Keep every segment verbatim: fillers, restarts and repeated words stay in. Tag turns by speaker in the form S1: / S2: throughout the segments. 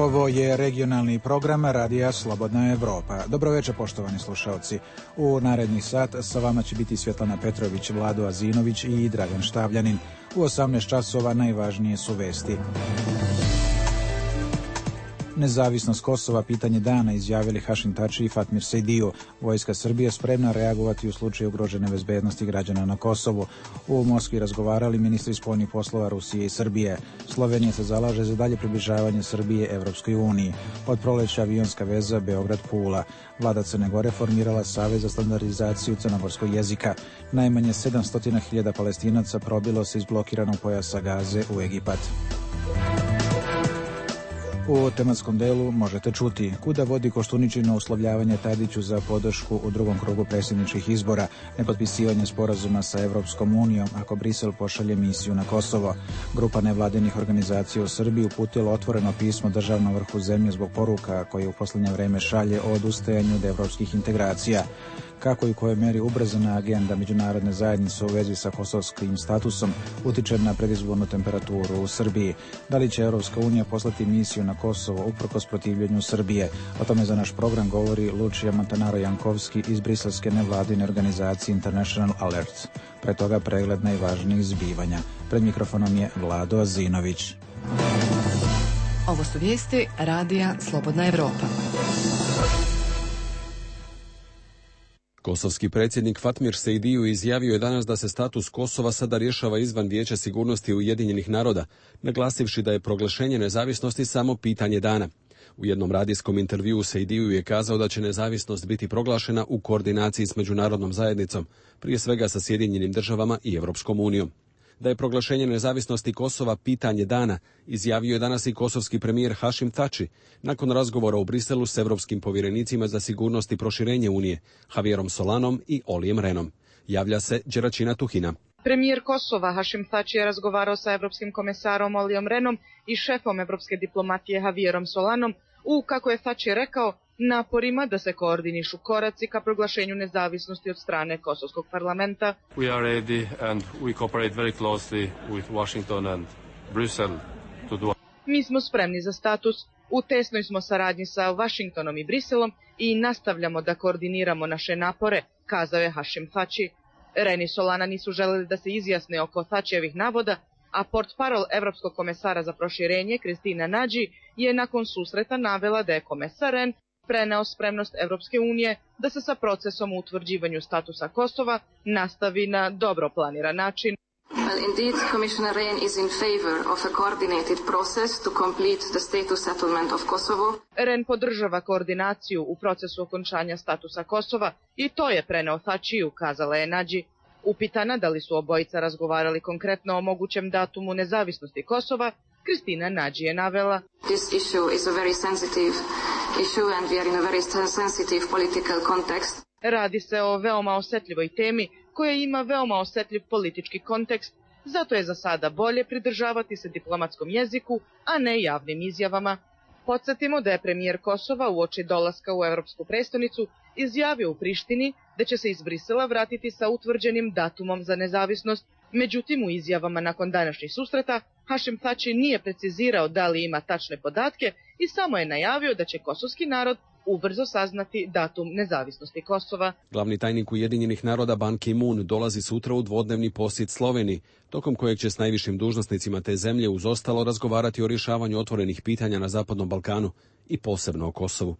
S1: Ovo je regionalni program Radija Slobodna Evropa. Dobro večer, poštovani slušalci. U naredni sat sa vama će biti Svjetlana Petrović, Vlado Azinović i Dragan Štavljanin. U osamnaest časova najvažnije su vesti. Nezavisnost Kosova pitanje dana, izjavili Hašim Tači i Fatmir Sejdiju. Vojska Srbije spremna reagovati u slučaju ugrožene bezbednosti građana na Kosovu. U Moskvi razgovarali ministri spoljnih poslova Rusije i Srbije. Slovenija se zalaže za dalje približavanje Srbije Evropskoj uniji. Od proleća avionska veza Beograd-Pula. Vlada Crne Gore formirala Savez za standardizaciju crnogorskog jezika. Najmanje sedamsto hiljada Palestinaca probilo se iz blokiranog pojasa Gaze u Egipat. U tematskom delu možete čuti kuda vodi Koštuničino uslovljavanje Tadiću za podršku u drugom krugu predsjedničkih izbora, nepotpisivanje sporazuma sa Evropskom unijom ako Brisel pošalje misiju na Kosovo. Grupa nevladinih organizacija u Srbiji uputila otvoreno pismo državnom vrhu zemlje zbog poruka koje u posljednje vreme šalje o odustajanju od evropskih integracija. Kako i u kojoj meri ubrzana agenda međunarodne zajednice u vezi sa kosovskim statusom utiče na predizbornu temperaturu u Srbiji. Da li će Evropska unija poslati misiju na Kosovo uprkos protivljenju Srbije? O tome za naš program govori Lučija Montanaro-Jankovski iz briselske nevladine organizacije International Alert. Pre toga pregled najvažnijih zbivanja. Pred mikrofonom je Vlado Azinović.
S2: Ovo su vijesti Radija Slobodna Evropa.
S3: Kosovski predsjednik Fatmir Sejdiju izjavio je danas da se status Kosova sada rješava izvan Vijeća sigurnosti Ujedinjenih naroda, naglasivši da je proglašenje nezavisnosti samo pitanje dana. U jednom radijskom intervjuu Sejdiju je kazao da će nezavisnost biti proglašena u koordinaciji s međunarodnom zajednicom, prije svega sa Sjedinjenim državama i Evropskom unijom. Da je proglašenje nezavisnosti Kosova pitanje dana, izjavio je danas i kosovski premijer Hašim Tači, nakon razgovora u Briselu s evropskim povjerenicima za sigurnost i proširenje Unije, Javierom Solanom i Olijem Renom. Javlja se Đeračina Tuhina.
S4: Premijer Kosova Hašim Tači je razgovarao sa evropskim komesarom Olijom Renom i šefom evropske diplomatije Javierom Solanom u, kako je Tači rekao, naporima da se koordinišu koraci ka proglašenju nezavisnosti od strane Kosovskog parlamenta.
S5: We are ready and we cooperate very closely with Washington and Brussels to do.
S4: Mi smo spremni za status, u tesnoj smo saradnji sa Washingtonom i Briselom i nastavljamo da koordiniramo naše napore, kazao je Hašim Tači. Ren i Solana nisu želeli da se izjasne oko Tačijevih navoda, a portparol Evropskog komesara za proširenje Kristina Nadži je nakon susreta navela da je komesar Ren preneo spremnost Evropske unije da se sa procesom u utvrđivanju statusa Kosova nastavi na dobro planiran način.
S6: Well, indeed, Commissioner Rehn is in favor of a coordinated process to complete the status settlement of Kosovo.
S4: Rehn podržava koordinaciju u procesu okončanja statusa Kosova i to je preneo Tačiju, kazala je Nadži. Upitana da li su obojica razgovarali konkretno o mogućem datumu nezavisnosti Kosova, Kristina Nadži je navela:
S6: This issue is a very sensitive issue and we are in a very sensitive political context.
S4: Radi se o veoma osjetljivoj temi koja ima veoma osjetljiv politički kontekst, zato je za sada bolje pridržavati se diplomatskom jeziku, a ne javnim izjavama. Podsjetimo da je premijer Kosova uoči dolaska u Evropsku prestonicu izjavio u Prištini da će se iz Brisela vratiti sa utvrđenim datumom za nezavisnost. Međutim, u izjavama nakon današnjih susreta Hašim Tači nije precizirao da li ima tačne podatke i samo je najavio da će kosovski narod ubrzo saznati datum nezavisnosti Kosova.
S3: Glavni tajnik Ujedinjenih naroda Ban Ki-moon dolazi sutra u dvodnevni posjet Sloveniji, tokom kojeg će s najvišim dužnosnicima te zemlje uz ostalo razgovarati o rješavanju otvorenih pitanja na Zapadnom Balkanu i posebno o Kosovu.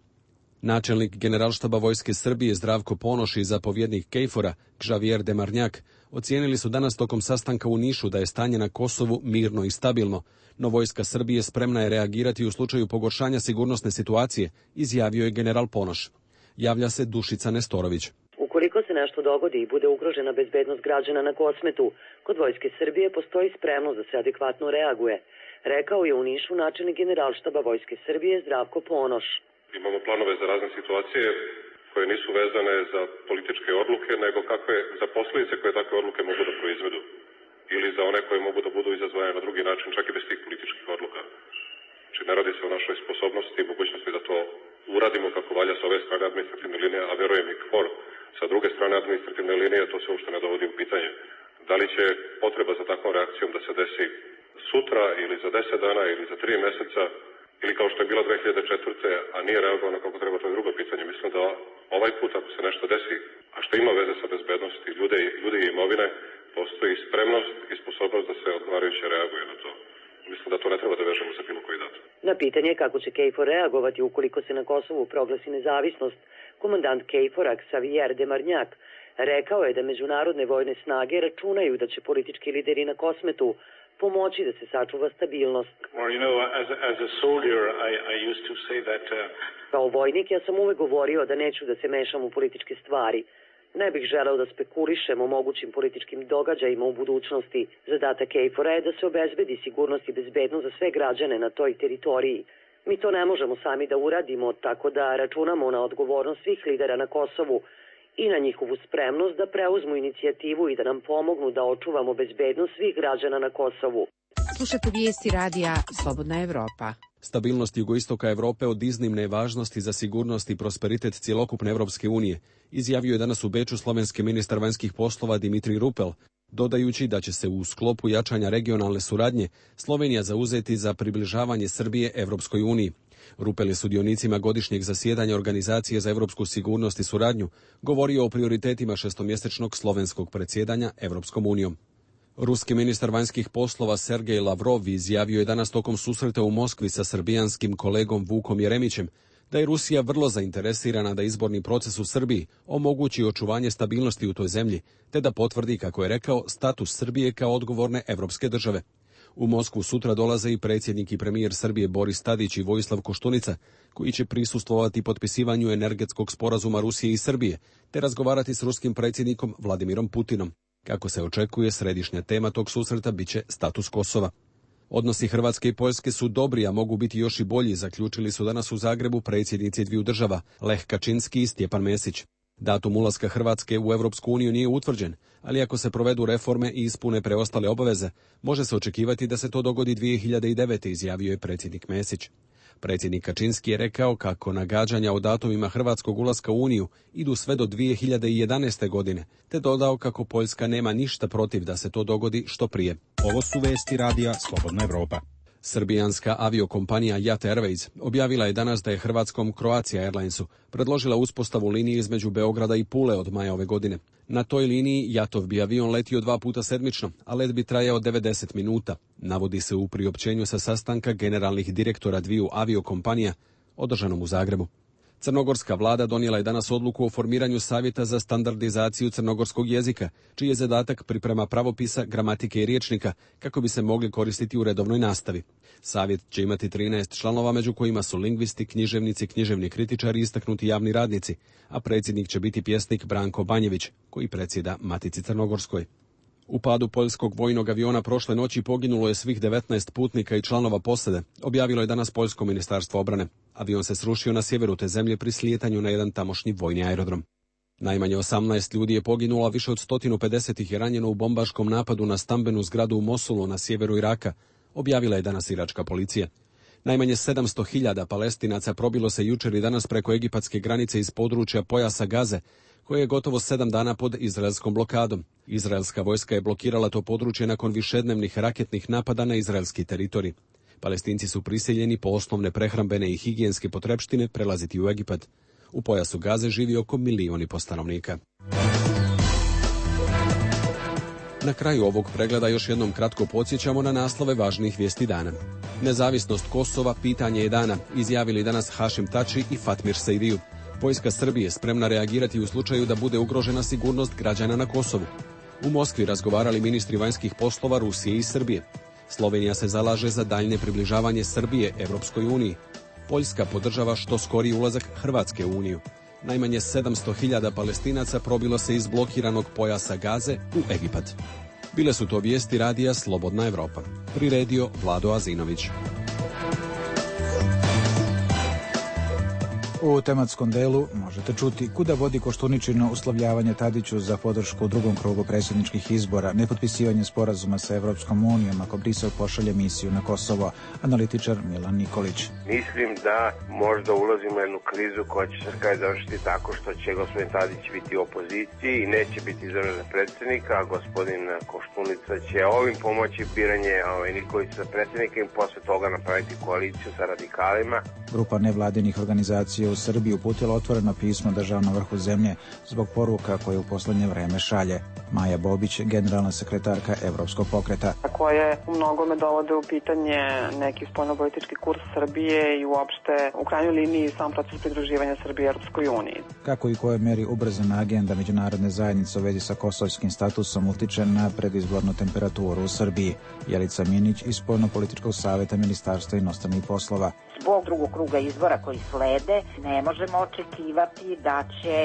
S3: Načelnik Generalštaba Vojske Srbije Zdravko Ponoš i zapovjednik Kejfora Xavier Demarnjak ocijenili su danas tokom sastanka u Nišu da je stanje na Kosovu mirno i stabilno, no vojska Srbije spremna je reagirati u slučaju pogoršanja sigurnosne situacije, izjavio je general Ponoš. Javlja se Dušica Nestorović.
S7: Ukoliko se nešto dogodi i bude ugrožena bezbednost građana na Kosmetu, kod vojske Srbije postoji spremnost da se adekvatno reaguje, rekao je u Nišu načelnik Generalštaba Vojske Srbije Zdravko Ponoš.
S8: Imamo planove za razne situacije koje nisu vezane za političke odluke, nego kakve za posljedice koje takve odluke mogu da proizvedu. Ili za one koje mogu da budu izazvane na drugi način, čak i bez tih političkih odluka. Znači, ne radi se o našoj sposobnosti i mogućnosti da to uradimo kako valja sa ove strane administrativne linije, a verujem i KFOR sa druge strane administrativne linije, to se uopšte ne dovodi u pitanje. Da li će potreba za takvom reakcijom da se desi sutra ili za deset dana ili za tri mjeseca ili kao što je bila dve hiljade četvrte. a nije reagovano kako treba, to je drugo pitanje. Mislim da ovaj put ako se nešto desi, a što ima veze sa bezbednosti ljude, ljude i imovine, postoji spremnost i sposobnost da se odgovarajuće reaguje na to. Mislim da to ne treba da vežemo za bilo koji datum.
S7: Na pitanje kako će KFOR reagovati ukoliko se na Kosovu proglasi nezavisnost, komandant KFOR-a Xavier Demarnjak rekao je da međunarodne vojne snage računaju da će politički lideri na Kosmetu pomoći da se sačuva stabilnost.
S9: Well, you know, as a, as a soldier, I, I used to say that, uh...
S7: Kao vojnik ja sam uvek govorio da neću da se mešam u političke stvari. Ne bih želeo da spekulišem o mogućim političkim događajima u budućnosti. Zadatak KFOR-a je da se obezbedi sigurnost i bezbednost za sve građane na toj teritoriji. Mi to ne možemo sami da uradimo, tako da računamo na odgovornost svih lidera na Kosovu i na njihovu spremnost da preuzmu inicijativu i da nam pomognu da očuvamo bezbednost svih građana na Kosovu.
S10: Slušate vijesti radija Slobodna Evropa.
S3: Stabilnost jugoistoka Evrope od iznimne je važnosti za sigurnost i prosperitet cjelokupne Evropske unije, izjavio je danas u Beču slovenski ministar vanjskih poslova Dimitrij Rupel, dodajući da će se u sklopu jačanja regionalne suradnje Slovenija zauzeti za približavanje Srbije Evropskoj uniji. Rupel je sudionicima godišnjeg zasjedanja Organizacije za evropsku sigurnost i suradnju govorio o prioritetima šestomjesečnog slovenskog predsjedanja Evropskom unijom. Ruski ministar vanjskih poslova Sergej Lavrov izjavio je danas tokom susreta u Moskvi sa srbijanskim kolegom Vukom Jeremićem da je Rusija vrlo zainteresirana da izborni proces u Srbiji omogući očuvanje stabilnosti u toj zemlji, te da potvrdi, kako je rekao, status Srbije kao odgovorne evropske države. U Moskvu sutra dolaze i predsjednik i premijer Srbije Boris Tadić i Vojislav Koštunica, koji će prisustvovati potpisivanju energetskog sporazuma Rusije i Srbije, te razgovarati s ruskim predsjednikom Vladimirom Putinom. Kako se očekuje, središnja tema tog susreta biće status Kosova. Odnosi Hrvatske i Poljske su dobri, a mogu biti još i bolji, zaključili su danas u Zagrebu predsjednici dviju država, Lech Kačinski i Stjepan Mesić. Datum ulaska Hrvatske u Europsku uniju nije utvrđen, ali ako se provedu reforme i ispune preostale obaveze, može se očekivati da se to dogodi dvije hiljade devete. izjavio je predsjednik Mesić. Predsjednik Kačinski je rekao kako nagađanja o datumima hrvatskog ulaska u Uniju idu sve do dvije hiljade jedanaeste. godine, te dodao kako Poljska nema ništa protiv da se to dogodi što prije.
S11: Ovo su vesti radija Slobodna Evropa.
S3: Srbijanska aviokompanija Jat Airways objavila je danas da je hrvatskom Croatia Airlinesu predložila uspostavu linije između Beograda i Pule od maja ove godine. Na toj liniji Jatov bi avion letio dva puta sedmično, a let bi trajao devedeset minuta. Navodi se u priopćenju sa sastanka generalnih direktora dviju aviokompanija održanom u Zagrebu. Crnogorska vlada donijela je danas odluku o formiranju savjeta za standardizaciju crnogorskog jezika, čiji je zadatak priprema pravopisa, gramatike i rječnika, kako bi se mogli koristiti u redovnoj nastavi. Savjet će imati trinaest članova, među kojima su lingvisti, književnici, književni kritičari i istaknuti javni radnici, a predsjednik će biti pjesnik Branko Banjević, koji predsjeda Matici Crnogorskoj. U padu poljskog vojnog aviona prošle noći poginulo je svih devetnaest putnika i članova posade, objavilo je danas Poljsko ministarstvo obrane. Avion se srušio na sjeveru te zemlje pri slijetanju na jedan tamošnji vojni aerodrom. Najmanje osamnaest ljudi je poginulo, a više od sto pedeset ih je ranjeno u bombaškom napadu na stambenu zgradu u Mosulu na sjeveru Iraka, objavila je danas iračka policija. Najmanje sedamsto hiljada Palestinaca probilo se jučer i danas preko egipatske granice iz područja pojasa Gaze, koje je gotovo sedam dana pod izraelskom blokadom. Izraelska vojska je blokirala to područje nakon višednevnih raketnih napada na izraelski teritorij. Palestinci su prisiljeni po osnovne prehrambene i higijenske potrepštine prelaziti u Egipat. U pojasu Gaze živi oko milion i po stanovnika. Na kraju ovog pregleda još jednom kratko podsjećamo na naslove važnih vijesti dana. Nezavisnost Kosova pitanje je dana, izjavili danas Hašim Tači i Fatmir Sejdiju. Vojska Srbije spremna reagirati u slučaju da bude ugrožena sigurnost građana na Kosovu. U Moskvi razgovarali ministri vanjskih poslova Rusije i Srbije. Slovenija se zalaže za daljnje približavanje Srbije Evropskoj uniji. Poljska podržava što skoriji ulazak Hrvatske u Uniju. Najmanje sedamsto hiljada Palestinaca probilo se iz blokiranog pojasa Gaze u Egipat. Bile su to vijesti radija Slobodna Evropa. Priredio Vlado Azinović.
S1: U tematskom delu možete čuti kuda vodi Koštuničino uslovljavanje Tadiću za podršku u drugom krugu predsjedničkih izbora, nepotpisivanje sporazuma sa Evropskom unijom ako Brisel pošalje misiju na Kosovo, analitičar Milan Nikolić.
S12: Mislim da možda ulazimo u jednu krizu koja će se kraj završiti tako što će gospodin Tadić biti u opoziciji i neće biti izabran za predsjednika, a gospodin Koštunica će ovim pomoći biranje ovaj, Nikolića za predsjednika i posle toga napraviti koaliciju sa radikalima.
S1: Grupa nevladinih organizacija u Srbiji uputila otvoreno pismo državnom vrhu zemlje zbog poruka koje u poslednje vreme šalje. Maja Bobić, generalna sekretarka Evropskog pokreta.
S13: Koje u mnogome dovode u pitanje neki spoljnopolitički kurs Srbije i uopšte u krajnjoj liniji sam proces pridruživanja Srbije Europskoj uniji.
S1: Kako i koje meri ubrzana agenda međunarodne zajednice u vezi sa kosovskim statusom utiče na predizbornu temperaturu u Srbiji. Jelica Minić iz Spoljnopolitičkog saveta Ministarstva inostranih poslova.
S14: Zbog drugog kruga izbora koji slede, ne možemo očekivati da će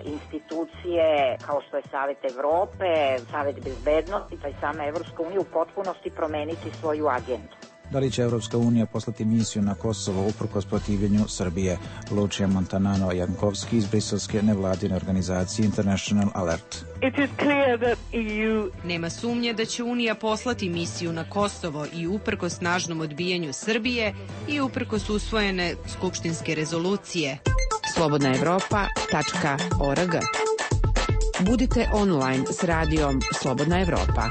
S14: institucije kao što je Savet Evrope, Savet bezbednosti, pa i sama Evropska unija u potpunosti promeniti svoju agendu.
S1: Da li će Evropska unija poslati misiju na Kosovo uprkos protivljenju Srbije? Lučija Montanano Jankovski iz briselske nevladine organizacije International Alert.
S15: It is clear that E U... Nema sumnje da će Unija poslati misiju na Kosovo i uprkos snažnom odbijanju Srbije i uprkos usvojene skupštinske rezolucije.
S10: slobodna evropa tačka org. Budite online s radijom Slobodna Evropa.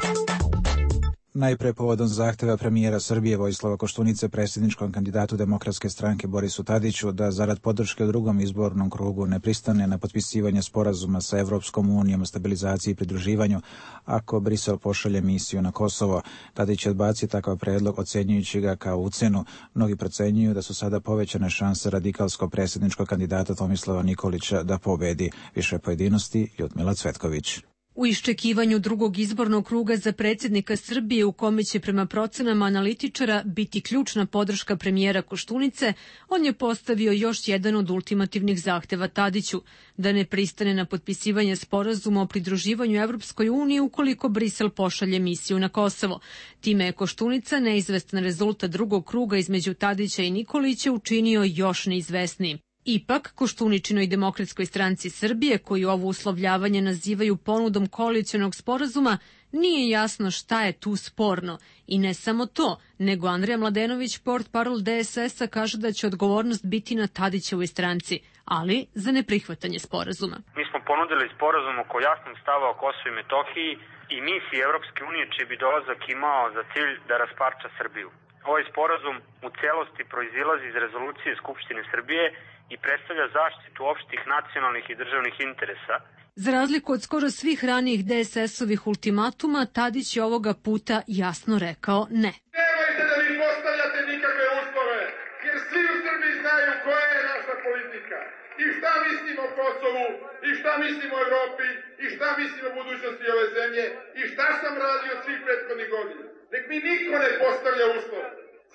S1: Najpre povodom zahteva premijera Srbije Vojislava Koštunice predsjedničkom kandidatu Demokratske stranke Borisu Tadiću da zarad podrške u drugom izbornom krugu ne pristane na potpisivanje sporazuma sa Evropskom unijom o stabilizaciji i pridruživanju ako Brisel pošalje misiju na Kosovo. Tadić je odbacio takav predlog ocjenjujući ga kao ucenu. Mnogi procenjuju da su sada povećane šanse radikalskog predsjedničkog kandidata Tomislava Nikolića da pobedi. Više pojedinosti Ljudmila Cvetković.
S16: U iščekivanju drugog izbornog kruga za predsjednika Srbije u kome će prema procenama analitičara biti ključna podrška premijera Koštunice, on je postavio još jedan od ultimativnih zahteva Tadiću, da ne pristane na potpisivanje sporazuma o pridruživanju Evropskoj uniji ukoliko Brisel pošalje misiju na Kosovo. Time je Koštunica neizvestan rezultat drugog kruga između Tadića i Nikolića učinio još neizvesnijim. Ipak, Koštuničinoj Demokratskoj stranci Srbije, koji ovo uslovljavanje nazivaju ponudom koalicionog sporazuma, nije jasno šta je tu sporno. I ne samo to, nego Andrija Mladenović, portparol D S S-a, kaže da će odgovornost biti na Tadićevoj stranci, ali za neprihvatanje sporazuma.
S17: Mi smo ponudili sporazum oko jasnog stava o Kosovu i Metohiji i misiji Evropske unije čiji bi dolazak imao za cilj da rasparča Srbiju. Ovaj sporazum u celosti proizilazi iz rezolucije Skupštine Srbije i predstavlja zaštitu opštih nacionalnih i državnih interesa.
S16: Za razliku od skoro svih ranijih D S S-ovih ultimatuma, Tadić je ovoga puta jasno rekao ne.
S18: Nemojte da mi postavljate nikakve uslove, jer svi u Srbiji znaju koja je naša politika i šta mislimo o Kosovu i šta mislimo o Evropi i šta mislimo o budućnosti ove zemlje i šta sam radio svih prethodnih godina. Nek mi niko ne postavlja uslov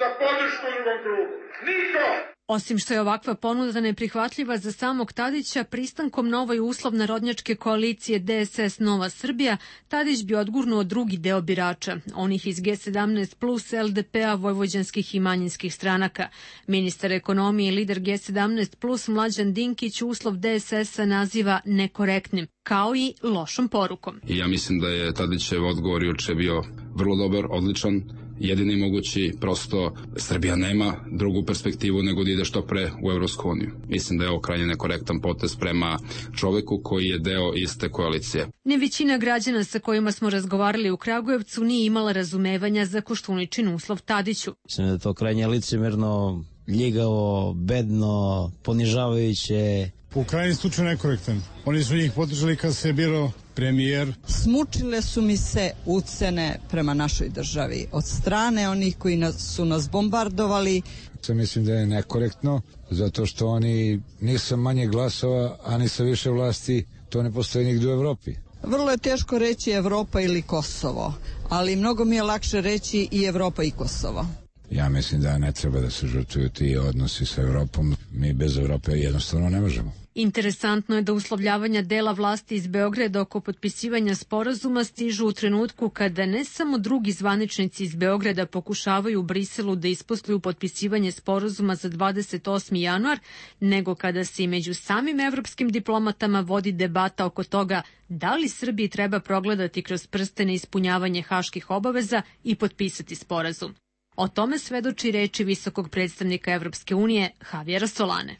S18: za podršku u drugom krugu. Niko!
S16: Osim što je ovakva ponuda neprihvatljiva za samog Tadića, pristankom na ovaj uslov narodnjačke koalicije D S S Nova Srbija, Tadić bi odgurnuo drugi deo birača, onih iz G sedamnaest plus, L D P-a, vojvođanskih i manjinskih stranaka. Ministar ekonomije i lider G sedamnaest plus Mlađan Dinkić uslov D S S-a naziva nekorektnim, kao i lošom porukom.
S19: I ja mislim da je Tadićev odgovor juče bio vrlo dobar, odličan, jedini mogući, prosto Srbija nema drugu perspektivu nego da ide što pre u Evropsku uniju. Mislim da je ovo krajnje nekorektan potez prema čoveku koji je deo iste koalicije.
S16: Ne većina građana sa kojima smo razgovarali u Kragujevcu nije imala razumevanja za Koštuničin uslov Tadiću.
S20: Mislim da je to krajnje licemerno, ljigavo, bedno, ponižavajuće.
S21: U krajnjem slučaju nekorektan. Oni su njih podržali kad se je birao premijer.
S22: Smučile su mi se ucene prema našoj državi od strane onih koji nas, su nas bombardovali.
S23: Mislim da je nekorektno, zato što oni nisu manje glasova, a ni sa više vlasti, to ne postoji nigde u Evropi.
S22: Vrlo je teško reći Evropa ili Kosovo, ali mnogo mi je lakše reći i Evropa i Kosovo.
S23: Ja mislim da ne treba da se žrtvuju ti odnosi sa Evropom. Mi bez Evrope jednostavno ne možemo.
S16: Interesantno je da uslovljavanja dela vlasti iz Beograda oko potpisivanja sporazuma stižu u trenutku kada ne samo drugi zvaničnici iz Beograda pokušavaju u Briselu da isposluju potpisivanje sporazuma za dvadeset osmi januar, nego kada se i među samim evropskim diplomatama vodi debata oko toga da li Srbiji treba progledati kroz prste na ispunjavanje haških obaveza i potpisati sporazum. O tome svedoči reči visokog predstavnika Evropske unije Javijera Solane.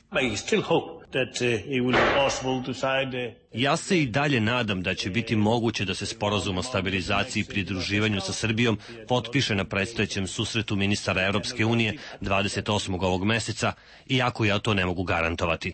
S2: Ja se i dalje nadam da će biti moguće da se sporazum o stabilizaciji i pridruživanju sa Srbijom potpiše na predstojećem susretu ministara Evropske unije dvadeset osmog ovog meseca, iako ja to ne mogu garantovati.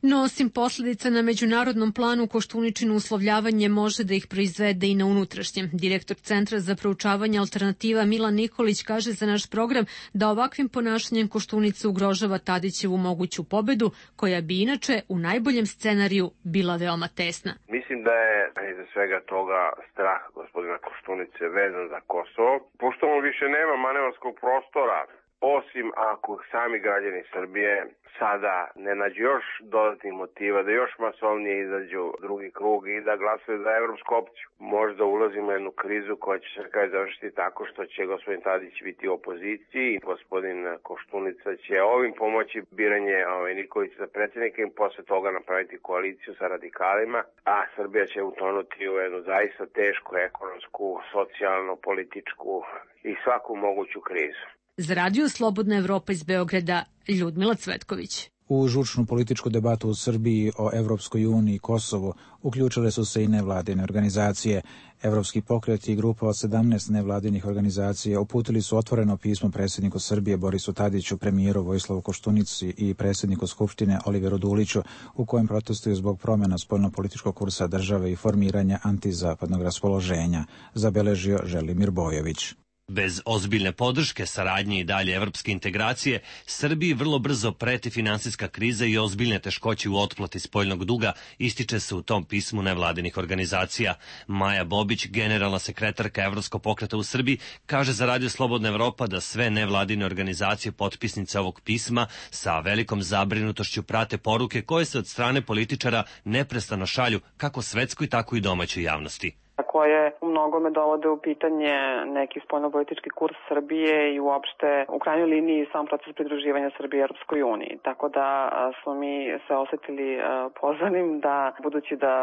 S16: No, osim posljedica na međunarodnom planu, Koštuničino uslovljavanje može da ih proizvede i na unutrašnjem. Direktor Centra za proučavanje alternativa Milan Nikolić kaže za naš program da ovakvim ponašanjem Koštunica ugrožava Tadićevu moguću pobedu, koja bi inače u najboljem scenariju bila veoma tesna.
S12: Mislim da je iza svega toga strah gospodina Koštunice vezan za Kosovo, pošto on više nema manevarskog prostora, osim ako sami građani Srbije sada ne nađu još dodatnih motiva da još masovnije izađu u drugi krug i da glasaju za evropsku opciju. Možda ulazimo u jednu krizu koja će se kraj završiti tako što će gospodin Tadić biti u opoziciji i gospodin Koštunica će ovim pomoći biranje ovaj, Nikolića za predsjednika i posle toga napraviti koaliciju sa radikalima, a Srbija će utonuti u jednu zaista tešku ekonomsku, socijalnu, političku i svaku moguću krizu.
S16: Za radio Slobodna Evropa iz Beograda, Ljudmila Cvetković.
S1: U žučnu političku debatu u Srbiji o Evropskoj uniji i Kosovu uključile su se i nevladine organizacije. Evropski pokret i grupa od sedamnaest nevladinih organizacija uputili su otvoreno pismo predsjedniku Srbije Borisu Tadiću, premijeru Vojislavu Koštunici i predsjedniku Skupštine Oliveru Duliću, u kojem protestuju zbog promjena spoljnopolitičkog kursa države i formiranja antizapadnog raspoloženja, zabeležio Želimir Bojović.
S2: Bez ozbiljne podrške, saradnje i dalje evropske integracije, Srbiji vrlo brzo preti finansijska kriza i ozbiljne teškoće u otplati spoljnog duga, ističe se u tom pismu nevladinih organizacija. Maja Bobić, generalna sekretarka Evropskog pokreta u Srbiji, kaže za radio Slobodna Evropa da sve nevladine organizacije potpisnice ovog pisma sa velikom zabrinutošću prate poruke koje se od strane političara neprestano šalju kako svetskoj, tako i domaćoj javnosti,
S13: koje u mnogome dovode u pitanje neki spoljnopolitički kurs Srbije i uopšte u krajnjoj liniji sam proces pridruživanja Srbije Europskoj uniji. Tako da smo mi se osetili pozvanim da, budući da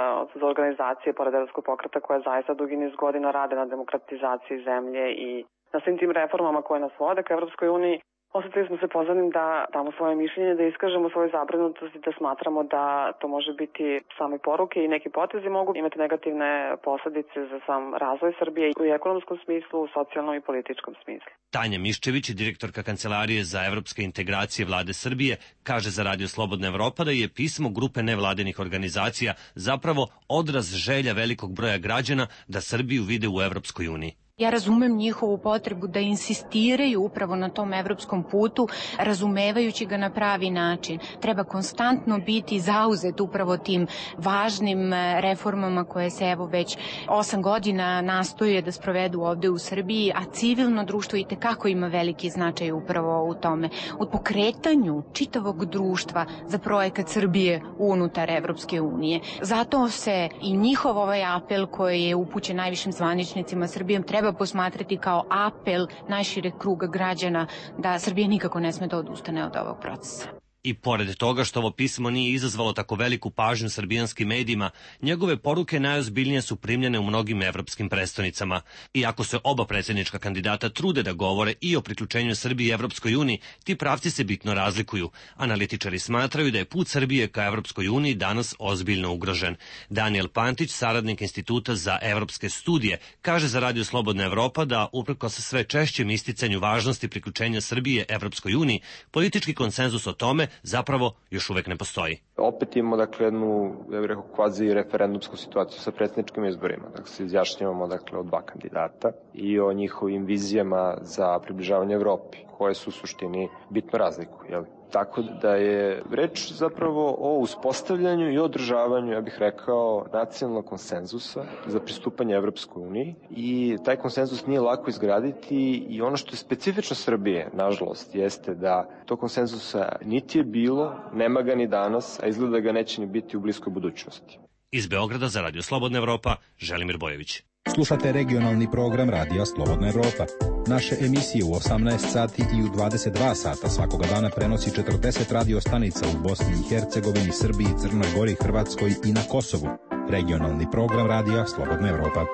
S13: za organizacije pored Evropskog pokreta koje zaista dugi niz godina rade na demokratizaciji zemlje i na svim tim reformama koje nas vode ka Evropskoj uniji, osetili smo se pozvanim da damo svoje mišljenje, da iskažemo svoju zabrinutost i da smatramo da to može biti same poruke i neki potezi mogu imati negativne posledice za sam razvoj Srbije i u ekonomskom smislu, u socijalnom i političkom smislu.
S2: Tanja Miščević, direktorka Kancelarije za evropske integracije vlade Srbije, kaže za radio Slobodna Evropa da je pismo grupe nevladinih organizacija zapravo odraz želja velikog broja građana da Srbiju vide u Evropskoj uniji.
S5: Ja razumem njihovu potrebu da insistiraju upravo na tom evropskom putu, razumevajući ga na pravi način. Treba konstantno biti zauzet upravo tim važnim reformama koje se evo već osam godina nastoje da sprovedu ovde u Srbiji, a civilno društvo i tekako ima veliki značaj upravo u tome. U pokretanju čitavog društva za projekat Srbije unutar Evropske unije. Zato se i njihov ovaj apel koji je upućen najvišim zvaničnicima Srbijom treba posmatrati kao apel najšireg kruga građana da Srbija nikako ne sme da odustane od ovog procesa.
S2: I pored toga što ovo pismo nije izazvalo tako veliku pažnju srbijanskim medijima, njegove poruke najozbiljnije su primljene u mnogim evropskim prestonicama. Iako se oba predsjednička kandidata trude da govore i o priključenju Srbije Evropskoj uniji, ti pravci se bitno razlikuju. Analitičari smatraju da je put Srbije ka Evropskoj uniji danas ozbiljno ugrožen. Daniel Pantić, saradnik Instituta za evropske studije, kaže za radio Slobodna Evropa da uprkos sve češćem isticanju važnosti priključenja Srbije Evropskoj uniji, politički konsenzus o tome zapravo još uvek ne postoji.
S6: Opet imamo dakle jednu, ja bih rekao, kvazi referendumsku situaciju sa predsjedničkim izborima. Dakle, se izjašnjavamo dakle o dva kandidata i o njihovim vizijama za približavanje Evropi, koje su u suštini bitno razlikuju. Jel? Tako da je reč zapravo o uspostavljanju i održavanju, ja bih rekao, nacionalnog konsenzusa za pristupanje Evropskoj uniji i taj konsenzus nije lako izgraditi i ono što je specifično Srbije, nažalost, jeste da to konsenzusa niti je bilo, nema ga ni danas, a izgleda da ga neće ni biti u bliskoj budućnosti.
S2: Iz Beograda za Radio Slobodna Evropa, Želimir Bojević.
S11: Slušate regionalni program Radija Slobodna Evropa. Naše emisije u osamnaest sati i u dvadeset dva sata svakoga dana prenosi četrdeset radio stanica u Bosni i Hercegovini, Srbiji, Crnoj Gori, Hrvatskoj i na Kosovu. Regionalni program Radija Slobodna Evropa.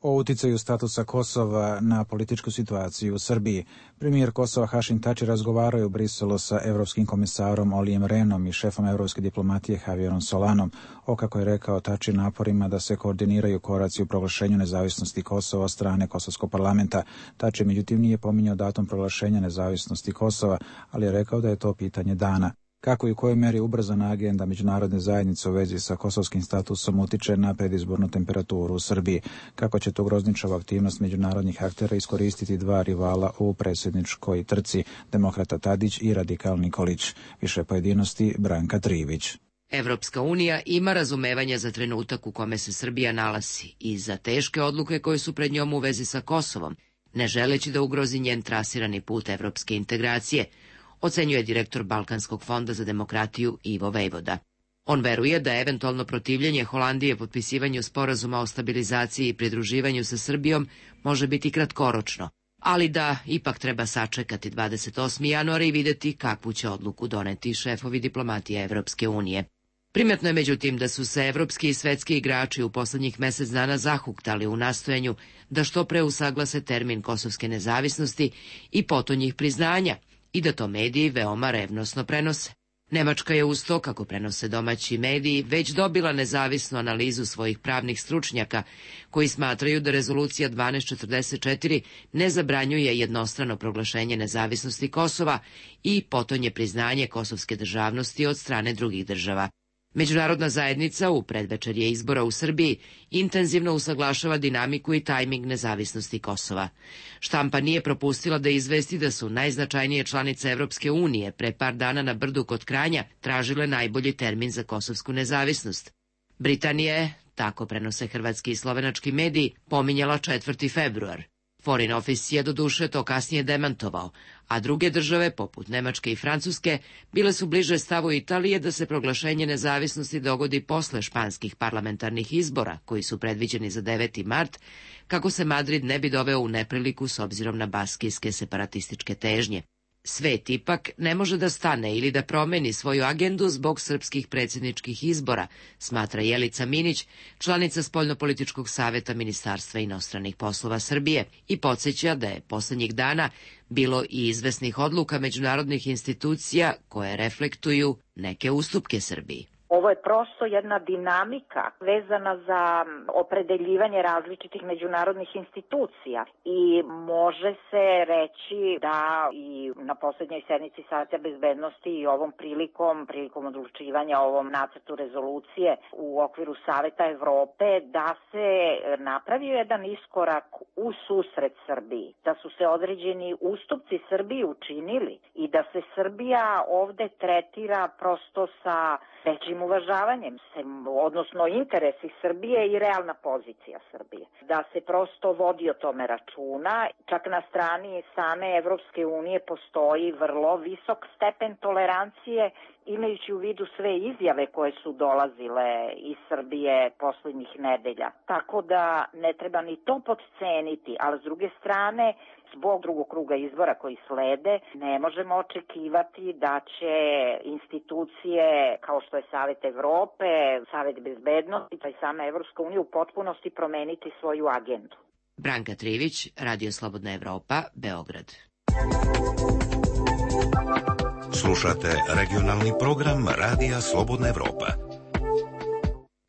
S1: O uticaju statusa Kosova na političku situaciju u Srbiji. Premijer Kosova Hašim Tači razgovarao je u Briselu sa evropskim komisarom Olijem Rehnom i šefom evropske diplomatije Javierom Solanom o, kako je rekao Tači, naporima da se koordiniraju koraci u proglašenju nezavisnosti Kosova od strane Kosovskog parlamenta. Tači međutim nije pominjao datum proglašenja nezavisnosti Kosova, ali je rekao da je to pitanje dana. Kako i u kojoj meri ubrzana agenda međunarodne zajednice u vezi sa kosovskim statusom utiče na predizbornu temperaturu u Srbiji? Kako će to grozničavu aktivnost međunarodnih aktera iskoristiti dva rivala u predsjedničkoj trci, demokrata Tadić i radikal Nikolić? Više pojedinosti Branka Trivić.
S4: Evropska unija ima razumevanja za trenutak u kome se Srbija nalazi i za teške odluke koje su pred njom u vezi sa Kosovom, ne želeći da ugrozi njen trasirani put evropske integracije, ocenjuje direktor Balkanskog fonda za demokratiju Ivo Vejvoda. On veruje da eventualno protivljenje Holandije potpisivanju sporazuma o stabilizaciji i pridruživanju sa Srbijom može biti kratkoročno, ali da ipak treba sačekati dvadeset osmog januara i videti kakvu će odluku doneti šefovi diplomatije Evropske unije. Primetno je međutim da su se evropski i svetski igrači u poslednjih mesec dana zahuktali u nastojanju da što pre usaglase termin kosovske nezavisnosti i potonjih priznanja, i da to mediji veoma revnosno prenose. Nemačka je uz to, kako prenose domaći mediji, već dobila nezavisnu analizu svojih pravnih stručnjaka, koji smatraju da rezolucija dvanaest četrdeset četiri ne zabranjuje jednostrano proglašenje nezavisnosti Kosova i potonje priznanje kosovske državnosti od strane drugih država. Međunarodna zajednica u predvečerje izbora u Srbiji intenzivno usaglašava dinamiku i tajming nezavisnosti Kosova. Štampa nije propustila da izvesti da su najznačajnije članice Evropske unije pre par dana na Brdu kod Kranja tražile najbolji termin za kosovsku nezavisnost. Britanija je, tako prenose hrvatski i slovenački mediji, pominjala četvrti februar. Foreign Office je doduše to kasnije demantovao, a druge države, poput Nemačke i Francuske, bile su bliže stavu Italije da se proglašenje nezavisnosti dogodi posle španskih parlamentarnih izbora, koji su predviđeni za deveti mart, kako se Madrid ne bi doveo u nepriliku s obzirom na baskijske separatističke težnje. Svet ipak ne može da stane ili da promeni svoju agendu zbog srpskih predsjedničkih izbora, smatra Jelica Minić, članica Spoljnopolitičkog saveta Ministarstva inostranih poslova Srbije, i podsjeća da je poslednjih dana bilo i izvesnih odluka međunarodnih institucija koje reflektuju neke ustupke Srbiji.
S14: Ovo je prosto jedna dinamika vezana za opredeljivanje različitih međunarodnih institucija i može se reći da i na posljednjoj sednici Saveta bezbednosti i ovom prilikom, prilikom odlučivanja o ovom nacrtu rezolucije u okviru Saveta Evrope, da se napravio jedan iskorak u susret Srbiji, da su se određeni ustupci Srbiji učinili i da se Srbija ovde tretira prosto sa većim uvažavanjem, odnosno interesi Srbije i realna pozicija Srbije. Da se prosto vodi o tome računa, čak na strani same Evropske unije postoji vrlo visok stepen tolerancije, imajući u vidu sve izjave koje su dolazile iz Srbije poslednjih nedelja. Tako da ne treba ni to podceniti, ali s druge strane, zbog drugog kruga izbora koji slede, ne možemo očekivati da će institucije kao što je Savet Evrope, Savet bezbednosti, pa i sama Evropska unija u potpunosti promeniti svoju agendu.
S4: Branka Trivić, Radio Slobodna Evropa, Beograd.
S8: Slušate regionalni program Radija Slobodna Evropa.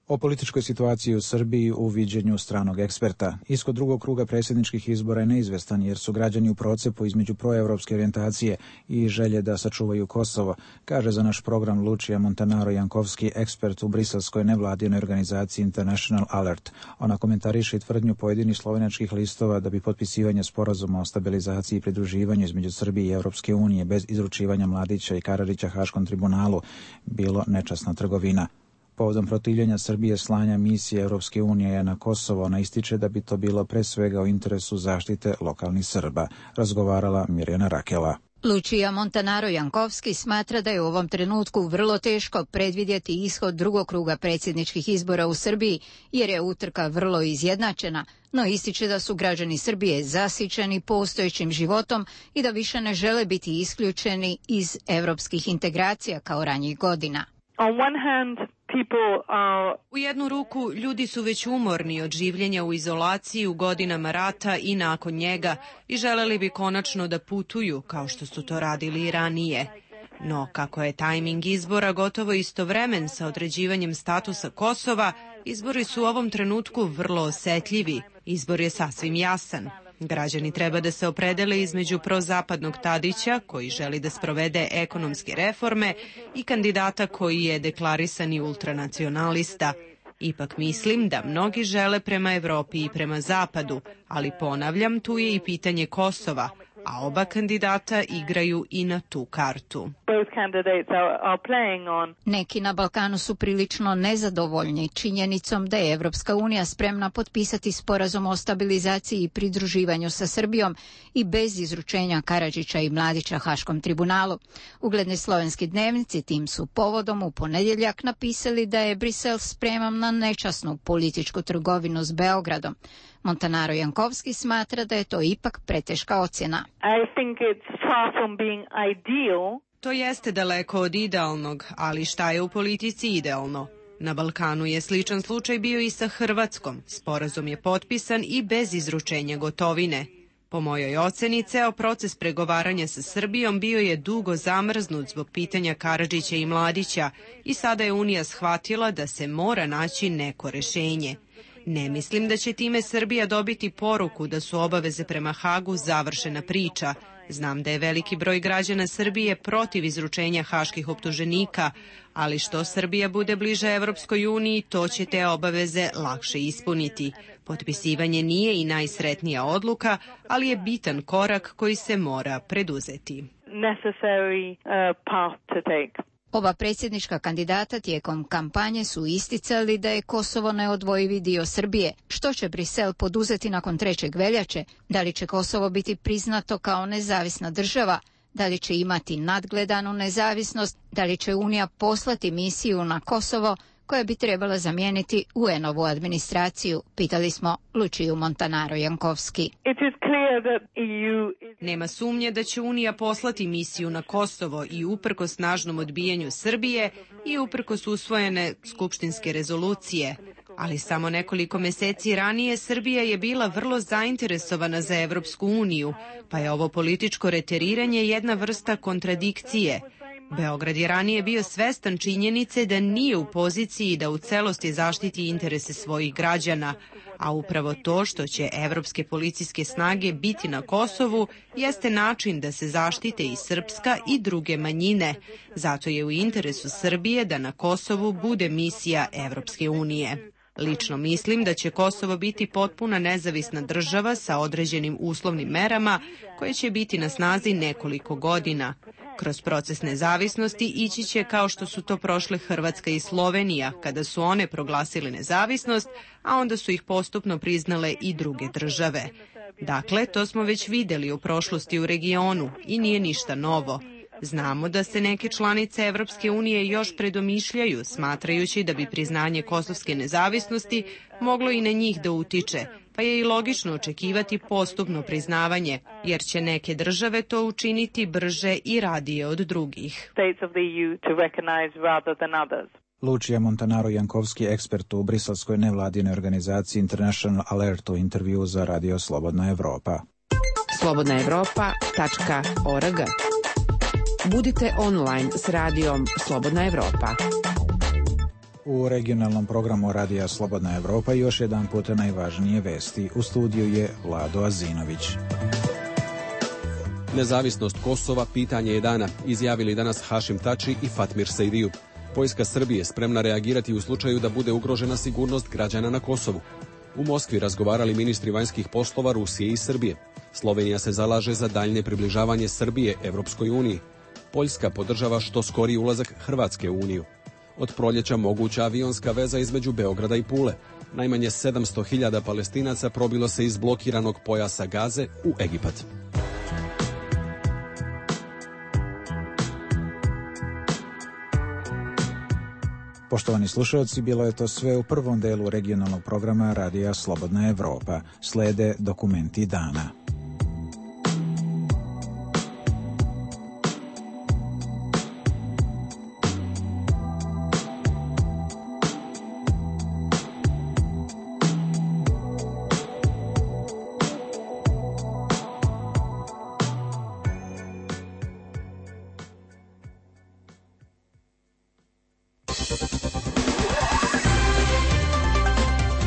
S1: O političkoj situaciji u Srbiji u viđenju stranog eksperta. Ishod drugog kruga predsjedničkih izbora je neizvestan jer su građani u procepu između proevropske orijentacije i želje da sačuvaju Kosovo, kaže za naš program Lučija Montanaro Jankovski, ekspert u briselskoj nevladinoj organizaciji International Alert. Ona komentariše i tvrdnju pojedinih slovenačkih listova da bi potpisivanje sporazuma o stabilizaciji i pridruživanju između Srbije i Europske unije bez izručivanja Mladića i Karadžića Haškom tribunalu bilo nečasna trgovina. Povodom protivljenja Srbije slanja misije Europske unije na Kosovo, ona ističe da bi to bilo pre svega u interesu zaštite lokalnih Srba, razgovarala Mirjana Rakela.
S7: Lučija Montanaro Jankovski smatra da je u ovom trenutku vrlo teško predvidjeti ishod drugog kruga predsjedničkih izbora u Srbiji, jer je utrka vrlo izjednačena, no ističe da su građani Srbije zasićeni postojećim životom i da više ne žele biti isključeni iz evropskih integracija kao ranijih godina.
S8: On one hand, people are...
S15: U jednu ruku, ljudi su već umorni od življenja u izolaciji u godinama rata i nakon njega i želeli bi konačno da putuju, kao što su to radili i ranije. No, kako je tajming izbora gotovo istovremen sa određivanjem statusa Kosova, izbori su u ovom trenutku vrlo osetljivi. Izbor je sasvim jasan. Građani treba da se opredele između prozapadnog Tadića, koji želi da sprovede ekonomske reforme, i kandidata koji je deklarisani ultranacionalista. Ipak mislim da mnogi žele prema Evropi i prema Zapadu, ali ponavljam, tu je i pitanje Kosova, a oba kandidata igraju i na tu kartu.
S7: Neki na Balkanu su prilično nezadovoljni činjenicom da je Evropska unija spremna potpisati sporazum o stabilizaciji i pridruživanju sa Srbijom i bez izručenja Karadžića i Mladića Haškom tribunalu. Ugledni slovenski dnevnici tim su povodom u ponedjeljak napisali da je Brisel spreman na nečasnu političku trgovinu s Beogradom. Montanaro Jankovski smatra da je to ipak preteška ocjena.
S8: I think it's far from being ideal.
S15: To jeste daleko od idealnog, ali šta je u politici idealno? Na Balkanu je sličan slučaj bio i sa Hrvatskom. Sporazum je potpisan i bez izručenja gotovine. Po mojoj oceni, ceo proces pregovaranja sa Srbijom bio je dugo zamrznut zbog pitanja Karadžića i Mladića i sada je Unija shvatila da se mora naći neko rešenje. Ne mislim da će time Srbija dobiti poruku da su obaveze prema Hagu završena priča. Znam da je veliki broj građana Srbije protiv izručenja haških optuženika, ali što Srbija bude bliže Evropskoj uniji, to će te obaveze lakše ispuniti. Potpisivanje nije i najsretnija odluka, ali je bitan korak koji se mora preduzeti.
S8: Necessary, uh, path to take.
S7: Oba predsjednička kandidata tijekom kampanje su isticali da je Kosovo neodvojivi dio Srbije. Što će Brisel poduzeti nakon trećeg veljače? Da li će Kosovo biti priznato kao nezavisna država? Da li će imati nadgledanu nezavisnost? Da li će Unija poslati misiju na Kosovo koja bi trebala zamijeniti U N-ovu administraciju? Pitali smo Lučiju Montanaro Jankovski.
S15: Nema sumnje da će Unija poslati misiju na Kosovo i uprkos snažnom odbijanju Srbije i uprkos usvojene skupštinske rezolucije. Ali samo nekoliko meseci ranije Srbija je bila vrlo zainteresovana za Evropsku uniju, pa je ovo političko reteriranje jedna vrsta kontradikcije. Beograd je ranije bio svestan činjenice da nije u poziciji da u celosti zaštiti interese svojih građana, a upravo to što će evropske policijske snage biti na Kosovu jeste način da se zaštite i srpska i druge manjine. Zato je u interesu Srbije da na Kosovu bude misija Evropske unije. Lično mislim da će Kosovo biti potpuna nezavisna država sa određenim uslovnim merama koje će biti na snazi nekoliko godina. Kroz proces nezavisnosti ići će kao što su to prošle Hrvatska i Slovenija, kada su one proglasile nezavisnost, a onda su ih postupno priznale i druge države. Dakle, to smo već vidjeli u prošlosti u regionu i nije ništa novo. Znamo da se neke članice Evropske unije još predomišljaju, smatrajući da bi priznanje kosovske nezavisnosti moglo i na njih da utiče, pa je i logično očekivati postupno priznavanje, jer će neke države to učiniti brže i radije od drugih.
S1: Lučija Montanaro Jankovski, ekspert u briselskoj nevladinoj organizaciji International Alert, u intervju za Radio Slobodna Evropa.
S10: slobodna evropa tačka org. Budite online s radijom Slobodna Evropa.
S1: U regionalnom programu Radija Slobodna Evropa još jedan puta najvažnije vesti. U studiju je Vlado Azinović.
S3: Nezavisnost Kosova pitanje je dana, izjavili danas Hašim Tači i Fatmir Sejdiju. Vojska Srbije spremna reagirati u slučaju da bude ugrožena sigurnost građana na Kosovu. U Moskvi razgovarali ministri vanjskih poslova Rusije i Srbije. Slovenija se zalaže za daljnje približavanje Srbije Evropskoj uniji. Poljska podržava što skoriji ulazak Hrvatske u Uniju. Od proljeća moguća avionska veza između Beograda i Pule. Najmanje sedamsto hiljada Palestinaca probilo se iz blokiranog pojasa Gaze u Egipat.
S1: Poštovani slušalci, bilo je to sve u prvom delu regionalnog programa Radija Slobodna Evropa. Slede dokumenti dana.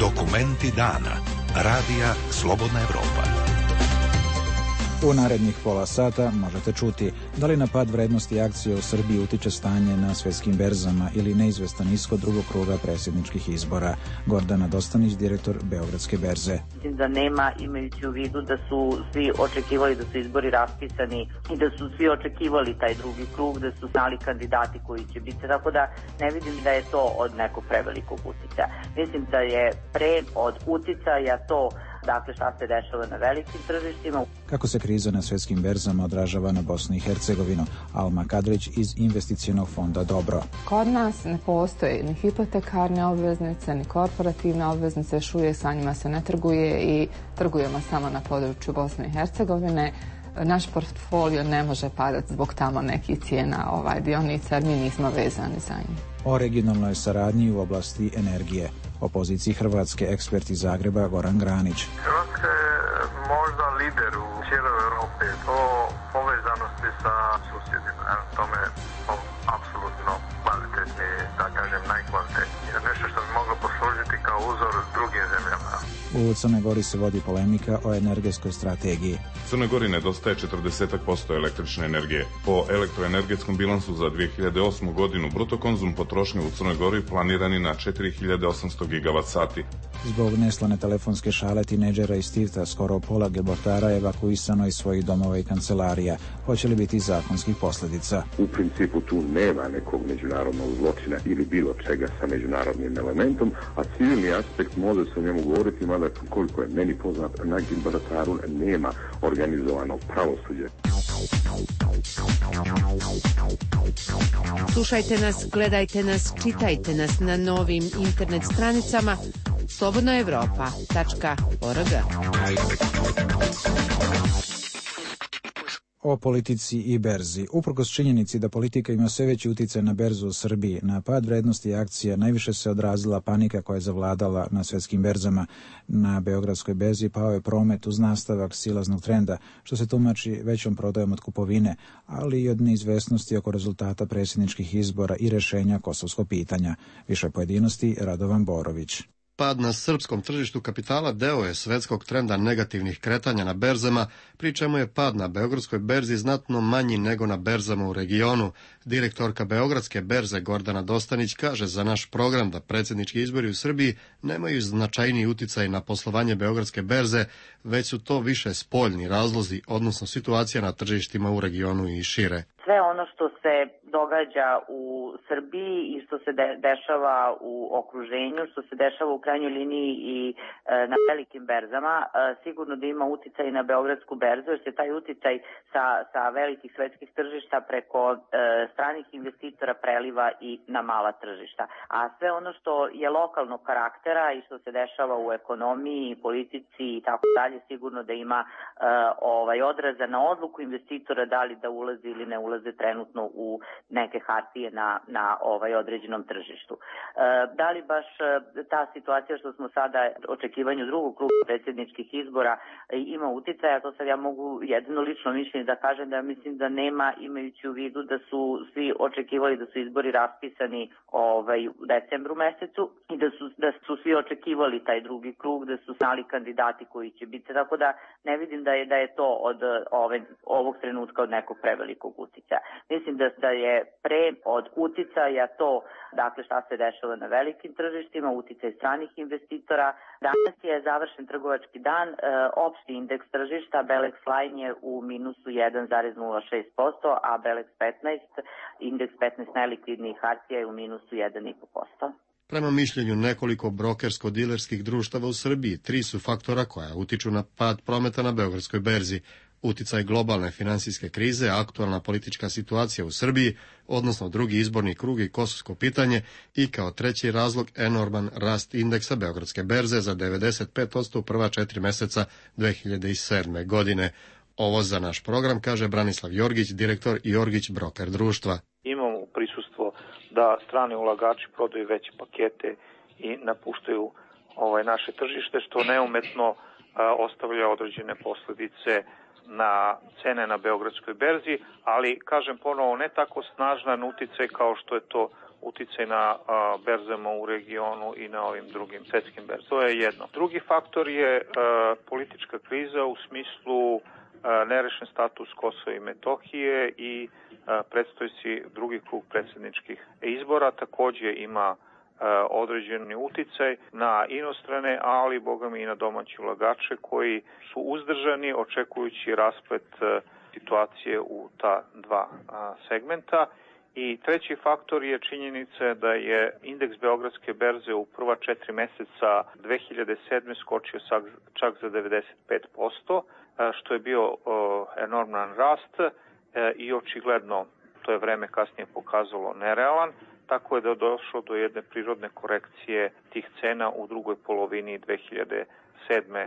S9: Dokumenti dana. Radija Slobodna Evropa.
S1: U narednih pola sata možete čuti da li na pad vrednosti akcije u Srbiji utiče stanje na svetskim berzama ili neizvestan ishod drugog kruga predsjedničkih izbora. Gordana Dostanić, direktor Beogradske berze.
S17: Mislim da nema, imajući u vidu da su svi očekivali da su izbori raspisani i da su svi očekivali taj drugi krug, da su znali kandidati koji će biti, tako da ne vidim da je to od nekog prevelikog uticaja. Mislim da je pre od uticaja to, dakle, šta se dešava na velikim tržištima.
S1: Kako se kriza na svjetskim berzama odražava na Bosnu i Hercegovinu? Alma Kadrić iz investicionog fonda Dobro.
S24: Kod nas ne postoji ni hipotekarne obveznice, ni korporativne obveznice, još uvijek sa njima se ne trguje i trgujemo samo na području Bosne i Hercegovine. Naš portfolio ne može padati zbog tamo nekih cijena ovaj, dionica, jer mi nismo vezani za njih.
S1: O regionalnoj saradnji u oblasti energije. O poziciji Hrvatske ekspert iz Zagreba Goran Granić.
S25: Hrvatska je možda lider u cijeloj Europi po povezanosti sa susjedima. Tome po apsolutno kvalitetni, da kažem najkvalitetniji. Nešto što bi moglo poslužiti kao uzor drugim zemljama.
S1: U Crnoj Gori se vodi polemika o energetskoj strategiji.
S26: Crnoj Gori nedostaje četrdeset posto električne energije. Po elektroenergetskom bilansu za dvije hiljade osmu godinu bruto konzum potrošnje u Crnoj Gori planirani na četiri hiljade osamsto gigavat sati.
S1: Zbog neslane telefonske šale tineđera iz Tivta skoro pola Gibraltara evakuisano iz svojih domova i kancelarija. Hoće li biti zakonskih posljedica?
S27: U principu tu nema nekog međunarodnog zločina ili bilo čega sa međunarodnim elementom, a civilni aspekt može se o njemu govoriti, mada koliko je meni poznat, na Gibraltaru nema organizovanog pravosuđa.
S15: Slušajte nas, gledajte nas, čitajte nas na novim internet stranicama slobodna evropa tačka org.
S1: O politici i berzi. Uprkos činjenici da politika ima sve veći utjecaj na berzu u Srbiji, na pad vrednosti akcija najviše se odrazila panika koja je zavladala na svjetskim berzama. Na Beogradskoj berzi pao je promet uz nastavak silaznog trenda, što se tumači većom prodajom od kupovine, ali i od neizvesnosti oko rezultata predsjedničkih izbora i rješenja kosovskog pitanja. Više pojedinosti Radovan Borović.
S28: Pad na srpskom tržištu kapitala deo je svetskog trenda negativnih kretanja na berzama, pri čemu je pad na Beogradskoj berzi znatno manji nego na berzama u regionu. Direktorka Beogradske berze Gordana Dostanić kaže za naš program da predsjednički izbori u Srbiji nemaju značajniji uticaj na poslovanje Beogradske berze, već su to više spoljni razlozi, odnosno situacija na tržištima u regionu i šire.
S17: Sve ono što se događa u Srbiji i što se de- dešava u okruženju, što se dešava u krajnjoj liniji i e, na velikim berzama, e, sigurno da ima uticaj na Beogradsku berzu, jer se taj uticaj sa, sa velikih svetskih tržišta preko e, stranih investitora preliva i na mala tržišta. A sve ono što je lokalnog karaktera i što se dešava u ekonomiji, politici i tako dalje, sigurno da ima e, ovaj odraza na odluku investitora da li da ulaze ili ne ulaze trenutno u neke hartije na, na ovaj određenom tržištu. Da li baš ta situacija što smo sada u očekivanju drugog kruga predsjedničkih izbora ima uticaja, to sad ja mogu jedino lično mišljenje da kažem da mislim da nema, imajući u vidu da su svi očekivali da su izbori raspisani ovaj, u decembru mesecu i da su, da su svi očekivali taj drugi krug, da su znali kandidati koji će biti, tako da ne vidim da je, da je to od ove, ovog trenutka od nekog prevelikog uticaja. Mislim da, da je pre od uticaja to, dakle šta se dešava na velikim tržištima, uticaj stranih investitora. Danas je završen trgovački dan, e, opšti indeks tržišta Belex Line je u minusu jedan zarez nula šest posto, a Belex petnaest, indeks petnaest najlikvidnijih hartija je u minusu jedan zarez pet posto.
S28: Prema mišljenju nekoliko brokersko-dilerskih društava u Srbiji, tri su faktora koja utiču na pad prometa na Beogradskoj berzi. Uticaj globalne finansijske krize, aktualna politička situacija u Srbiji, odnosno drugi izborni krug i kosovsko pitanje i kao treći razlog enorman rast indeksa Beogradske berze za devedeset pet posto u prva četiri meseca dve hiljade sedme. godine. Ovo za naš program kaže Branislav Jorgić, direktor Jorgić Broker društva.
S12: Imamo prisustvo da strani ulagači prodaju veće pakete i napuštaju ovaj naše tržište, što neumetno a, ostavlja određene posledice na cene na Beogradskoj berzi, ali kažem ponovo ne tako snažan uticaj kao što je to uticaj na a, berzama u regionu i na ovim drugim svetskim berzama. To je jedno. Drugi faktor je a, politička kriza u smislu a, nerešen status Kosova i Metohije i predstojeći drugi krug predsjedničkih izbora takođe ima određeni uticaj na inostrane, ali boga mi i na domaće ulagače koji su uzdržani očekujući rasplet situacije u ta dva segmenta. I treći faktor je činjenica da je indeks Beogradske berze u prva četiri meseca dve hiljade sedme. skočio čak za devedeset pet posto, što je bio enorman rast i očigledno to je vreme kasnije pokazalo nerealan, tako je da je došlo do jedne prirodne korekcije tih cena u drugoj polovini dve hiljade sedme.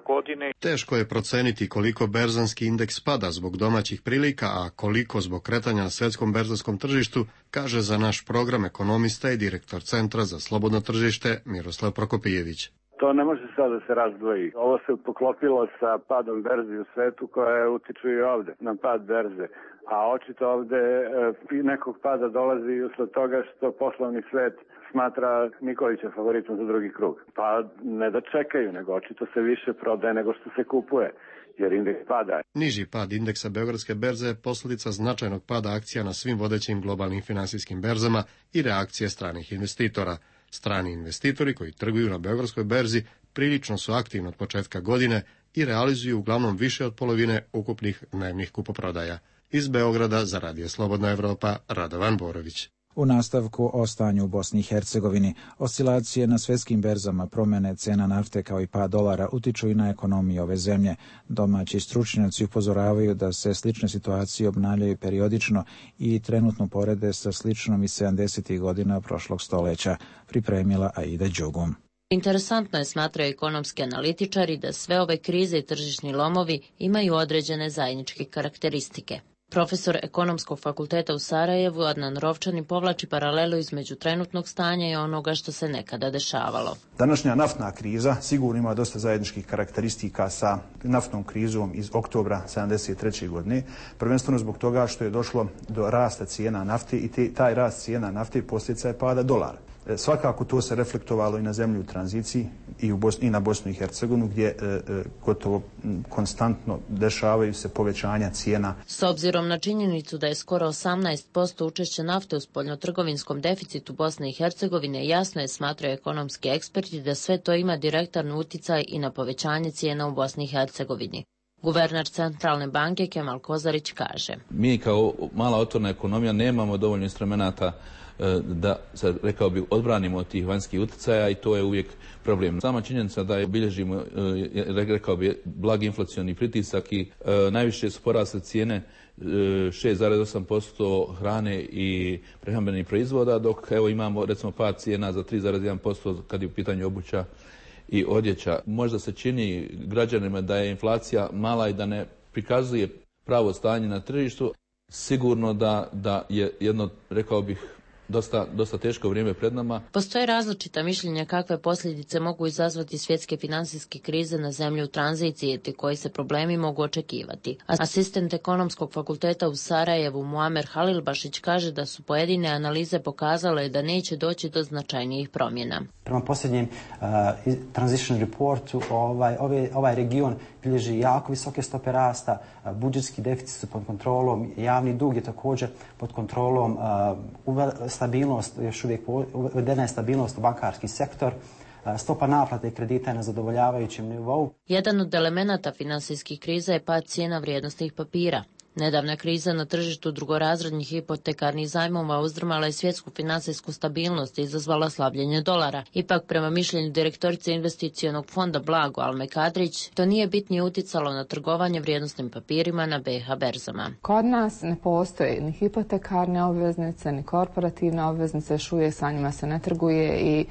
S12: godine.
S28: Teško je proceniti koliko berzanski indeks pada zbog domaćih prilika, a koliko zbog kretanja na svetskom berzanskom tržištu, kaže za naš program ekonomista i direktor Centra za slobodno tržište Miroslav Prokopijević.
S16: To ne može sad da se razdvoji. Ovo se poklopilo sa padom berzi u svetu koja utiču i ovde na pad berze. A očito ovde e, nekog pada dolazi usled toga što poslovni svet smatra Nikolića favoritom za drugi krug. Pa ne da čekaju, nego očito se više prodaje nego što se kupuje, jer indeks pada.
S28: Niži pad indeksa Beogradske berze je posljedica značajnog pada akcija na svim vodećim globalnim finansijskim berzama i reakcije stranih investitora. Strani investitori koji trguju na Beogradskoj berzi prilično su aktivni od početka godine i realizuju uglavnom više od polovine ukupnih dnevnih kupoprodaja. Iz Beograda za Radio Slobodna Evropa, Radovan Borović.
S1: U nastavku o stanju u Bosni i Hercegovini, oscilacije na svetskim berzama, promjene cena nafte kao i pad dolara utiču i na ekonomiju ove zemlje. Domaći stručnjaci upozoravaju da se slične situacije obnavljaju periodično i trenutno porede sa sličnom iz sedamdesetih godina prošlog stoljeća, pripremila Aida Đugum.
S18: Interesantno je, smatraju ekonomski analitičari, da sve ove krize i tržišni lomovi imaju određene zajedničke karakteristike. Profesor Ekonomskog fakulteta u Sarajevu Adnan Rovčani povlači paralelu između trenutnog stanja i onoga što se nekada dešavalo.
S19: Današnja naftna kriza sigurno ima dosta zajedničkih karakteristika sa naftnom krizom iz oktobra sedamdeset treće. godine, prvenstveno zbog toga što je došlo do rasta cijena nafte i te, taj rast cijena nafte posljedica je pada dolara. Svakako to se reflektovalo i na zemlju u tranziciji i, u Bosni, i na Bosnu i Hercegovinu gdje e, e, gotovo m, konstantno dešavaju se povećanja cijena.
S18: S obzirom na činjenicu da je skoro osamnaest posto učešća nafte u spoljnotrgovinskom deficitu Bosne i Hercegovine, jasno je, smatraju ekonomski eksperti, da sve to ima direktan uticaj i na povećanje cijena u Bosni i Hercegovini. Guverner Centralne banke Kemal Kozarić kaže:
S20: Mi kao mala otvorena ekonomija nemamo dovoljno instrumenata da, rekao bih, odbranimo od tih vanjskih utjecaja i to je uvijek problem. Sama činjenica da je bilježimo, rekao bih, blagi inflacioni pritisak i najviše su porasle cijene šest zarez osam posto hrane i prehrambenih proizvoda, dok evo imamo recimo pad cijena za tri zarez jedan posto kad je u pitanju obuća i odjeća. Možda se čini građanima da je inflacija mala i da ne prikazuje pravo stanje na tržištu. Sigurno da, da je jedno, rekao bih, Dosta, dosta teško vrijeme pred nama.
S18: Postoje različita mišljenja kakve posljedice mogu izazvati svjetske financijske krize na zemlji u tranziciji te koji se problemi mogu očekivati. Asistent ekonomskog fakulteta u Sarajevu Muamer Halilbašić kaže da su pojedine analize pokazale da neće doći do značajnijih promjena.
S2: Prema posljednjem uh, transition reportu ovaj, ovaj, ovaj region bilježi jako visoke stope rasta, uh, budžetski deficit su pod kontrolom, javni dug je također pod kontrolom, uh, stabilnost, još uvijek uvedena je stabilnost u bankarski sektor, stopa naplate kredita je na zadovoljavajućem nivou.
S18: Jedan od elemenata finansijskih kriza je pad cijena vrijednosnih papira. Nedavna kriza na tržištu drugorazrednih hipotekarnih zajmova uzdrmala je svjetsku financijsku stabilnost i izazvala slabljenje dolara. Ipak, prema mišljenju direktorice investicionog fonda Blago Almekadrić, to nije bitnije uticalo na trgovanje vrijednosnim papirima na B i H berzama.
S24: Kod nas ne postoje ni hipotekarne obveznice, ni korporativne obveznice, još uvijek sa njima se ne trguje i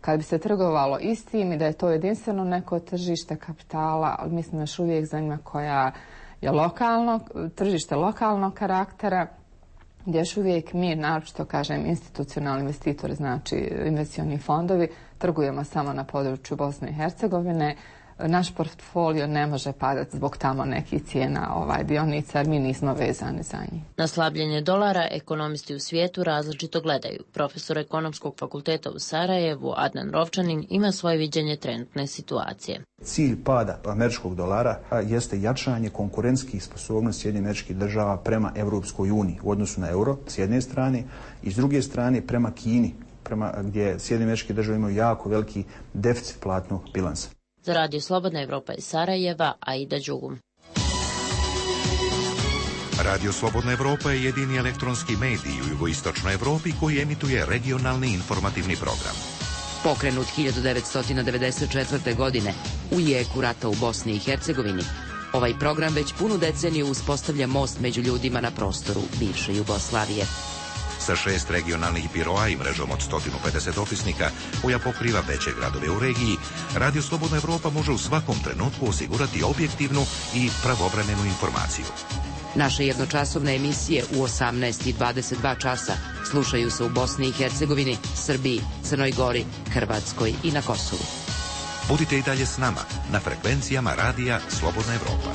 S24: kad bi se trgovalo istim i da je to jedinstveno neko tržište kapitala, ali mislim još uvijek za njima koja je lokalno, tržište lokalnog karaktera, gdje još uvijek mi, naročito kažem institucionalni investitori, znači investicioni fondovi, trgujemo samo na području Bosne i Hercegovine. Naš portfolio ne može padati zbog tamo nekih cijena ovaj, dionica, jer mi nismo vezani za njih.
S18: Na slabljenje dolara ekonomisti u svijetu različito gledaju. Profesor ekonomskog fakulteta u Sarajevu, Adnan Rovčanin, ima svoje viđenje trenutne situacije.
S19: Cilj pada američkog dolara jeste jačanje konkurentskih sposobnosti Sjedinjenih Američkih Država prema Europskoj uniji u odnosu na euro s jedne strane i s druge strane prema Kini, prema gdje Sjedinjene Američke Države imaju jako veliki deficit platnog bilansa.
S18: Za Radio Slobodna Evropa iz Sarajeva, Aida Đugum.
S9: Radio Slobodna Evropa je jedini elektronski medij u jugoistočnoj Evropi koji emituje regionalni informativni program.
S4: Pokrenut hiljadu devetsto devedeset četvrte. godine u jeku rata u Bosni i Hercegovini, ovaj program već punu deceniju uspostavlja most među ljudima na prostoru bivše Jugoslavije.
S9: Sa šest regionalnih biroa i mrežom od sto pedeset opisnika koja pokriva veće gradove u regiji, Radio Slobodna Evropa može u svakom trenutku osigurati objektivnu i pravovremenu informaciju.
S4: Naše jednočasovne emisije u osamnaest i dvadeset dva časa slušaju se u Bosni i Hercegovini, Srbiji, Crnoj Gori, Hrvatskoj i na Kosovu.
S9: Budite i dalje s nama na frekvencijama Radija Slobodna Evropa.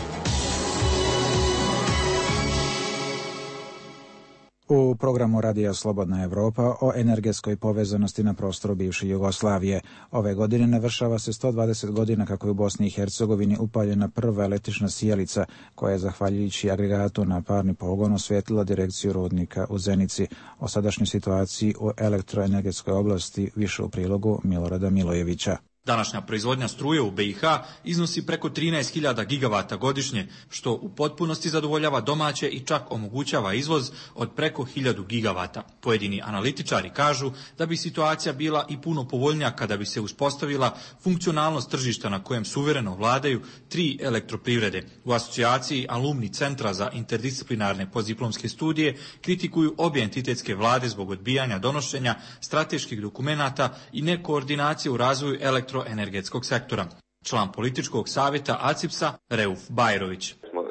S1: U programu Radija Slobodna Evropa o energetskoj povezanosti na prostoru bivše Jugoslavije. Ove godine navršava se sto dvadeset godina kako je u Bosni i Hercegovini upaljena prva električna sijalica koja je zahvaljujući agregatu na parni pogon osvijetlila direkciju rudnika u Zenici. O sadašnjoj situaciji u elektroenergetskoj oblasti više u prilogu Milorada Milojevića.
S5: Današnja proizvodnja struje u B i H iznosi preko trinaest hiljada gigavata godišnje, što u potpunosti zadovoljava domaće i čak omogućava izvoz od preko hiljadu gigavata. Pojedini analitičari kažu da bi situacija bila i puno povoljnija kada bi se uspostavila funkcionalnost tržišta na kojem suvereno vladaju tri elektroprivrede. U asocijaciji Alumni centra za interdisciplinarne postdiplomske studije kritikuju obje entitetske vlade zbog odbijanja donošenja strateških dokumenata i nekoordinacije u razvoju elektro energetskog sektora. Član političkog savjeta A C I P S-a Reuf Bajrović.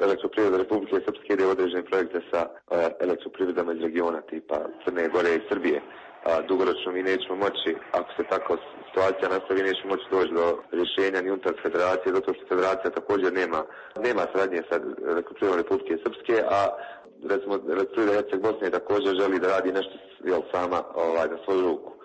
S27: Elektroprivreda Republike Srpske ide u određene projekte sa uh, elektroprivredama iz regiona tipa Crne Gore i Srbije. Uh, dugoročno mi nećemo moći, ako se tako situacija nastavi, nećemo moći doći do rješenja ni unutar federacije, zato što federacija također nema, nema sradnje sa elektroprivredom Republike Srpske, a recimo elektroprivreda Herceg Bosne također želi da radi nešto jel, sama ovaj, na svoju ruku. Uh,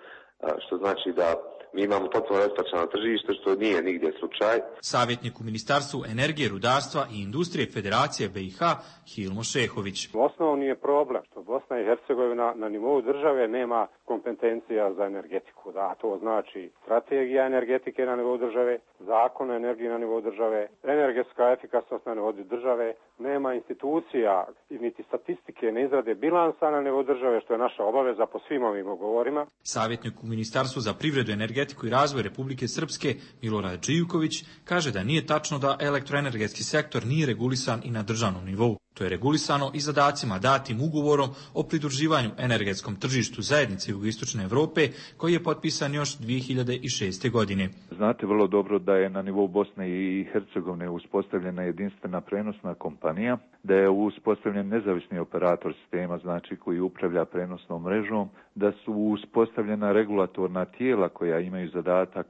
S27: što znači da mi imamo potpuno raspačano tržište, što nije nigdje slučaj.
S5: Savjetnik u Ministarstvu energije, rudarstva i industrije Federacije B i H Hilmo Šehović.
S6: Osnovni je problem što Bosna i Hercegovina na nivou države nema kompetencija za energetiku. Da, to znači strategija energetike na nivou države, zakon o energiji na nivou države, energetska efikasnost na nivou države, nema institucija i niti statistike ne izrade bilansa na nivou države, što je naša obaveza po svim ovim ugovorima.
S5: Savjetnik u Ministarstvu za privredu, energetiku i razvoj Republike Srpske Milorad Živković kaže da nije tačno da elektroenergetski sektor nije regulisan i na državnom nivou. To je regulisano i zadacima datim ugovorom o pridruživanju energetskom tržištu zajednice Jugoistočne Europe koji je potpisan još dvije hiljade šeste. godine.
S7: Znate vrlo dobro da je na nivou Bosne i Hercegovine uspostavljena jedinstvena prenosna kompanija, da je uspostavljen nezavisni operator sistema, znači koji upravlja prenosnom mrežom, da su uspostavljena regulatorna tijela koja imaju zadatak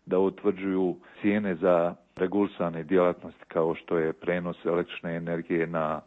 S7: da utvrđuju cijene za regulisane djelatnosti kao što je prenos električne energije na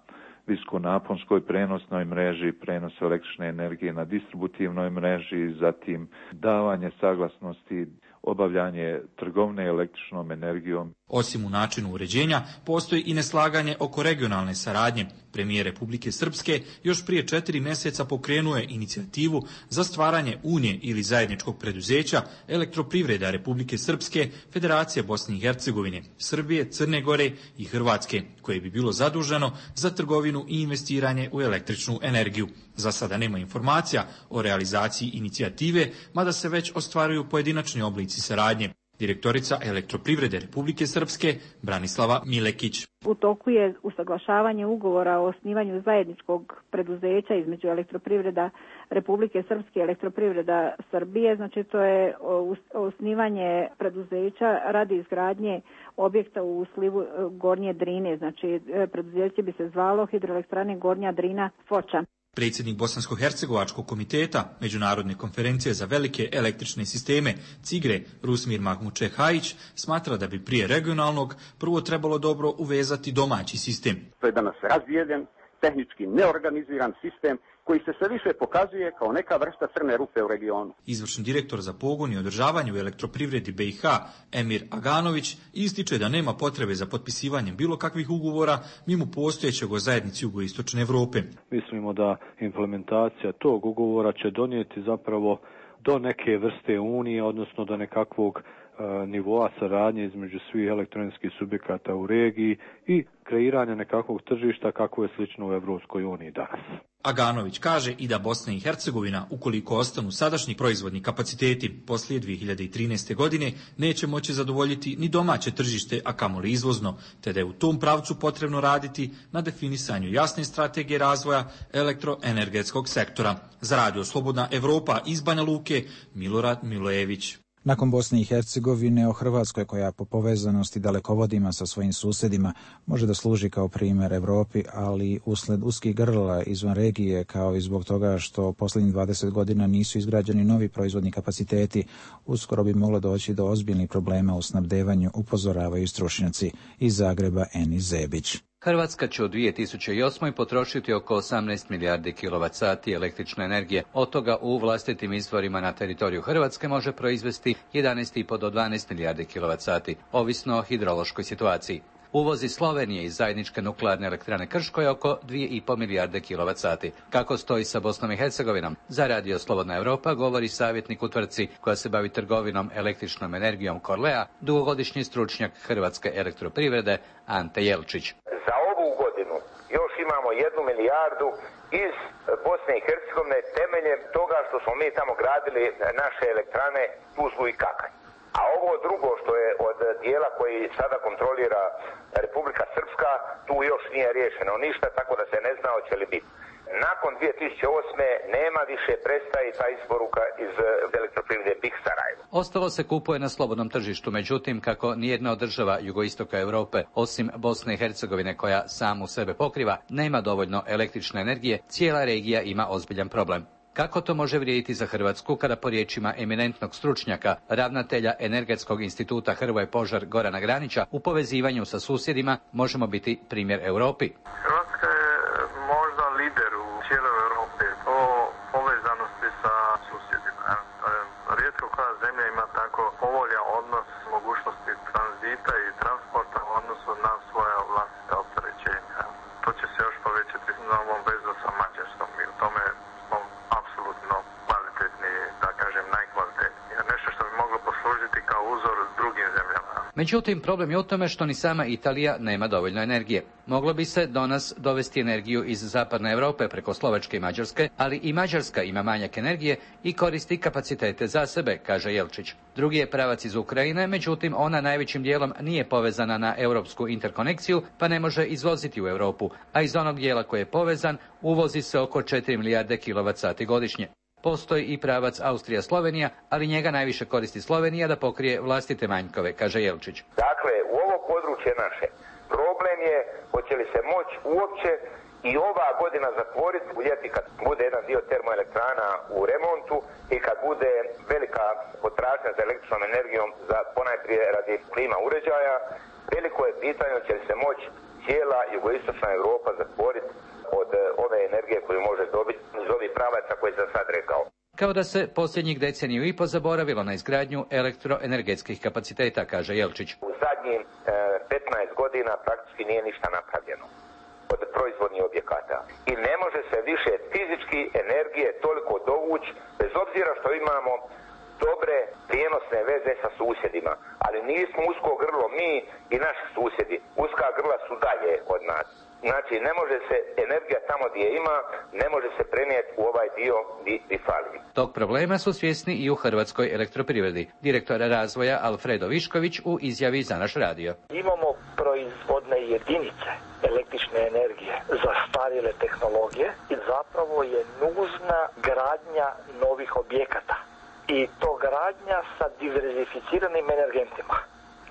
S7: viskonaponskoj prenosnoj mreži, prenos električne energije na distributivnoj mreži, zatim davanje saglasnosti, obavljanje trgovine električnom energijom.
S5: Osim u načinu uređenja, postoji i neslaganje oko regionalne saradnje. Premijer Republike Srpske još prije četiri mjeseca pokrenuo je inicijativu za stvaranje unije ili zajedničkog preduzeća Elektroprivreda Republike Srpske, Federacije Bosne i Hercegovine, Srbije, Crne Gore i Hrvatske, koje bi bilo zaduženo za trgovinu i investiranje u električnu energiju. Za sada nema informacija o realizaciji inicijative, mada se već ostvaruju pojedinačni oblici saradnje. Direktorica Elektroprivrede Republike Srpske Branislava Milekić.
S8: U toku je usaglašavanje ugovora o osnivanju zajedničkog preduzeća između Elektroprivreda Republike Srpske i Elektroprivreda Srbije. Znači to je osnivanje preduzeća radi izgradnje objekta u slivu Gornje Drine. Znači preduzeće bi se zvalo Hidroelektrane Gornja Drina Foča.
S5: Predsjednik Bosansko-hercegovačkog komiteta Međunarodne konferencije za velike električne sisteme CIGRE Rusmir Mahmučehajić smatra da bi prije regionalnog prvo trebalo dobro uvezati domaći sistem.
S11: To je danas razvijen, tehnički neorganiziran sistem koji se sve više pokazuje kao neka vrsta crne rupe u regionu.
S5: Izvršni direktor za pogon i održavanje u elektroprivredi B i H Emir Aganović ističe da nema potrebe za potpisivanjem bilo kakvih ugovora mimo postojećeg o zajednici Jugoistočne Europe.
S13: Mislimo da implementacija tog ugovora će donijeti zapravo do neke vrste unije, odnosno do nekakvog nivoa saradnje između svih elektronskih subjekata u regiji i kreiranja nekakvog tržišta kako je slično u Evropskoj uniji danas.
S5: Aganović kaže i da Bosna i Hercegovina, ukoliko ostanu sadašnji proizvodni kapaciteti poslije dvije hiljade trinaeste. godine, neće moći zadovoljiti ni domaće tržište, a kamoli izvozno, te da je u tom pravcu potrebno raditi na definisanju jasne strategije razvoja elektroenergetskog sektora. Za Radio Slobodna Evropa iz Banja Luke, Milorad Milojević.
S1: Nakon Bosne i Hercegovine, o Hrvatskoj koja po povezanosti dalekovodima sa svojim susjedima može da služi kao primjer Europi, ali usled uskih grla izvan regije, kao i zbog toga što posljednjih dvadeset godina nisu izgrađeni novi proizvodni kapaciteti, uskoro bi moglo doći do ozbiljnih problema u snabdevanju, upozoravaju stručnjaci iz Zagreba Eni Zebić.
S14: Hrvatska će u dvije tisuće osmoj. potrošiti oko osamnaest milijardi kilovat sati električne energije. Od toga u vlastitim izvorima na teritoriju Hrvatske može proizvesti jedanaest i po do dvanaest milijardi kilovat sati, ovisno o hidrološkoj situaciji. Uvoz iz Slovenije iz zajedničke nuklearne elektrane Krško je oko dvije i po milijarde kilovat sati. Kako stoji sa Bosnom i Hercegovinom? Za Radio Slobodna Evropa govori savjetnik u tvrtci koja se bavi trgovinom električnom energijom Korlea, dugogodišnji stručnjak Hrvatske elektroprivrede Ante Jelčić.
S21: Za ovu godinu još imamo jednu milijardu iz Bosne i Hercegovine temeljem toga što smo mi tamo gradili naše elektrane Tuzlu i Kakanj. A ovo drugo što je od dijela koji sada kontrolira Republika Srpska, tu još nije riješeno ništa, tako da se ne zna hoće li biti. Nakon dvije tisuće osme. nema više, prestaje ta isporuka iz elektroprivrede B i H Sarajevo.
S14: Ostalo se kupuje na slobodnom tržištu, međutim, kako nijedna od država jugoistoka Europe, osim Bosne i Hercegovine koja samu sebe pokriva, nema dovoljno električne energije, cijela regija ima ozbiljan problem. Kako to može vrijediti za Hrvatsku kada po riječima eminentnog stručnjaka, ravnatelja Energetskog instituta Hrvoje Požar Gorana Granića, u povezivanju sa susjedima možemo biti primjer Europi?
S25: Hrvatska je možda lider u cijeloj Europi po povezanosti sa susjedima. Rijetko koja zemlja ima tako povoljan odnos mogućnosti tranzita i transporta u odnosu na svoja vlastita opterećenja. To će se još povećati na ovom vezu sa Mađarskom i u tome smo apsolutno kvalitetni, da kažem najkvalitetniji. Nešto što bi moglo poslužiti kao uzor drugim zemljama.
S14: Međutim, problem je u tome što ni sama Italija nema dovoljno energije. Moglo bi se do nas dovesti energiju iz zapadne Europe preko Slovačke i Mađarske, ali i Mađarska ima manjak energije i koristi kapacitete za sebe, kaže Jelčić. Drugi je pravac iz Ukrajine, međutim ona najvećim dijelom nije povezana na europsku interkonekciju, pa ne može izvoziti u Europu, a iz onog dijela koji je povezan uvozi se oko četiri milijarde kilovat sati godišnje. Postoji i pravac Austrija-Slovenija, ali njega najviše koristi Slovenija da pokrije vlastite manjkove, kaže Jelčić.
S21: Dakle, u ovo područje naše problem je hoće li se moći uopće i ova godina zatvoriti u ljeti kad bude jedan dio termoelektrana u remontu i kad bude velika potražnja za električnom energijom za ponajprije radi klima uređaja. Veliko je pitanje hoće li se moći cijela jugoistočna Europa zatvoriti od ove energije koju može dobiti iz ovih pravaca koje sam sad rekao.
S14: Kao da se posljednjih deceniju i po zaboravilo na izgradnju elektroenergetskih kapaciteta, kaže Jelčić.
S21: U zadnjih e, petnaest godina praktički nije ništa napravljeno od proizvodnih objekata. I ne može se više fizički energije toliko dovući, bez obzira što imamo dobre prijenosne veze sa susjedima. Ali nismo usko grlo mi i naši susjedi. Uska grla su dalje od nas. Znači, ne može se energija tamo gdje ima, ne može se prenijeti u ovaj dio gdje fali.
S14: Tog problema su svjesni i u Hrvatskoj elektroprivredi. Direktor razvoja Alfredo Višković u izjavi za naš radio.
S3: Imamo proizvodne jedinice električne energije za starije tehnologije i zapravo je nužna gradnja novih objekata. I to gradnja sa diverzificiranim energentima.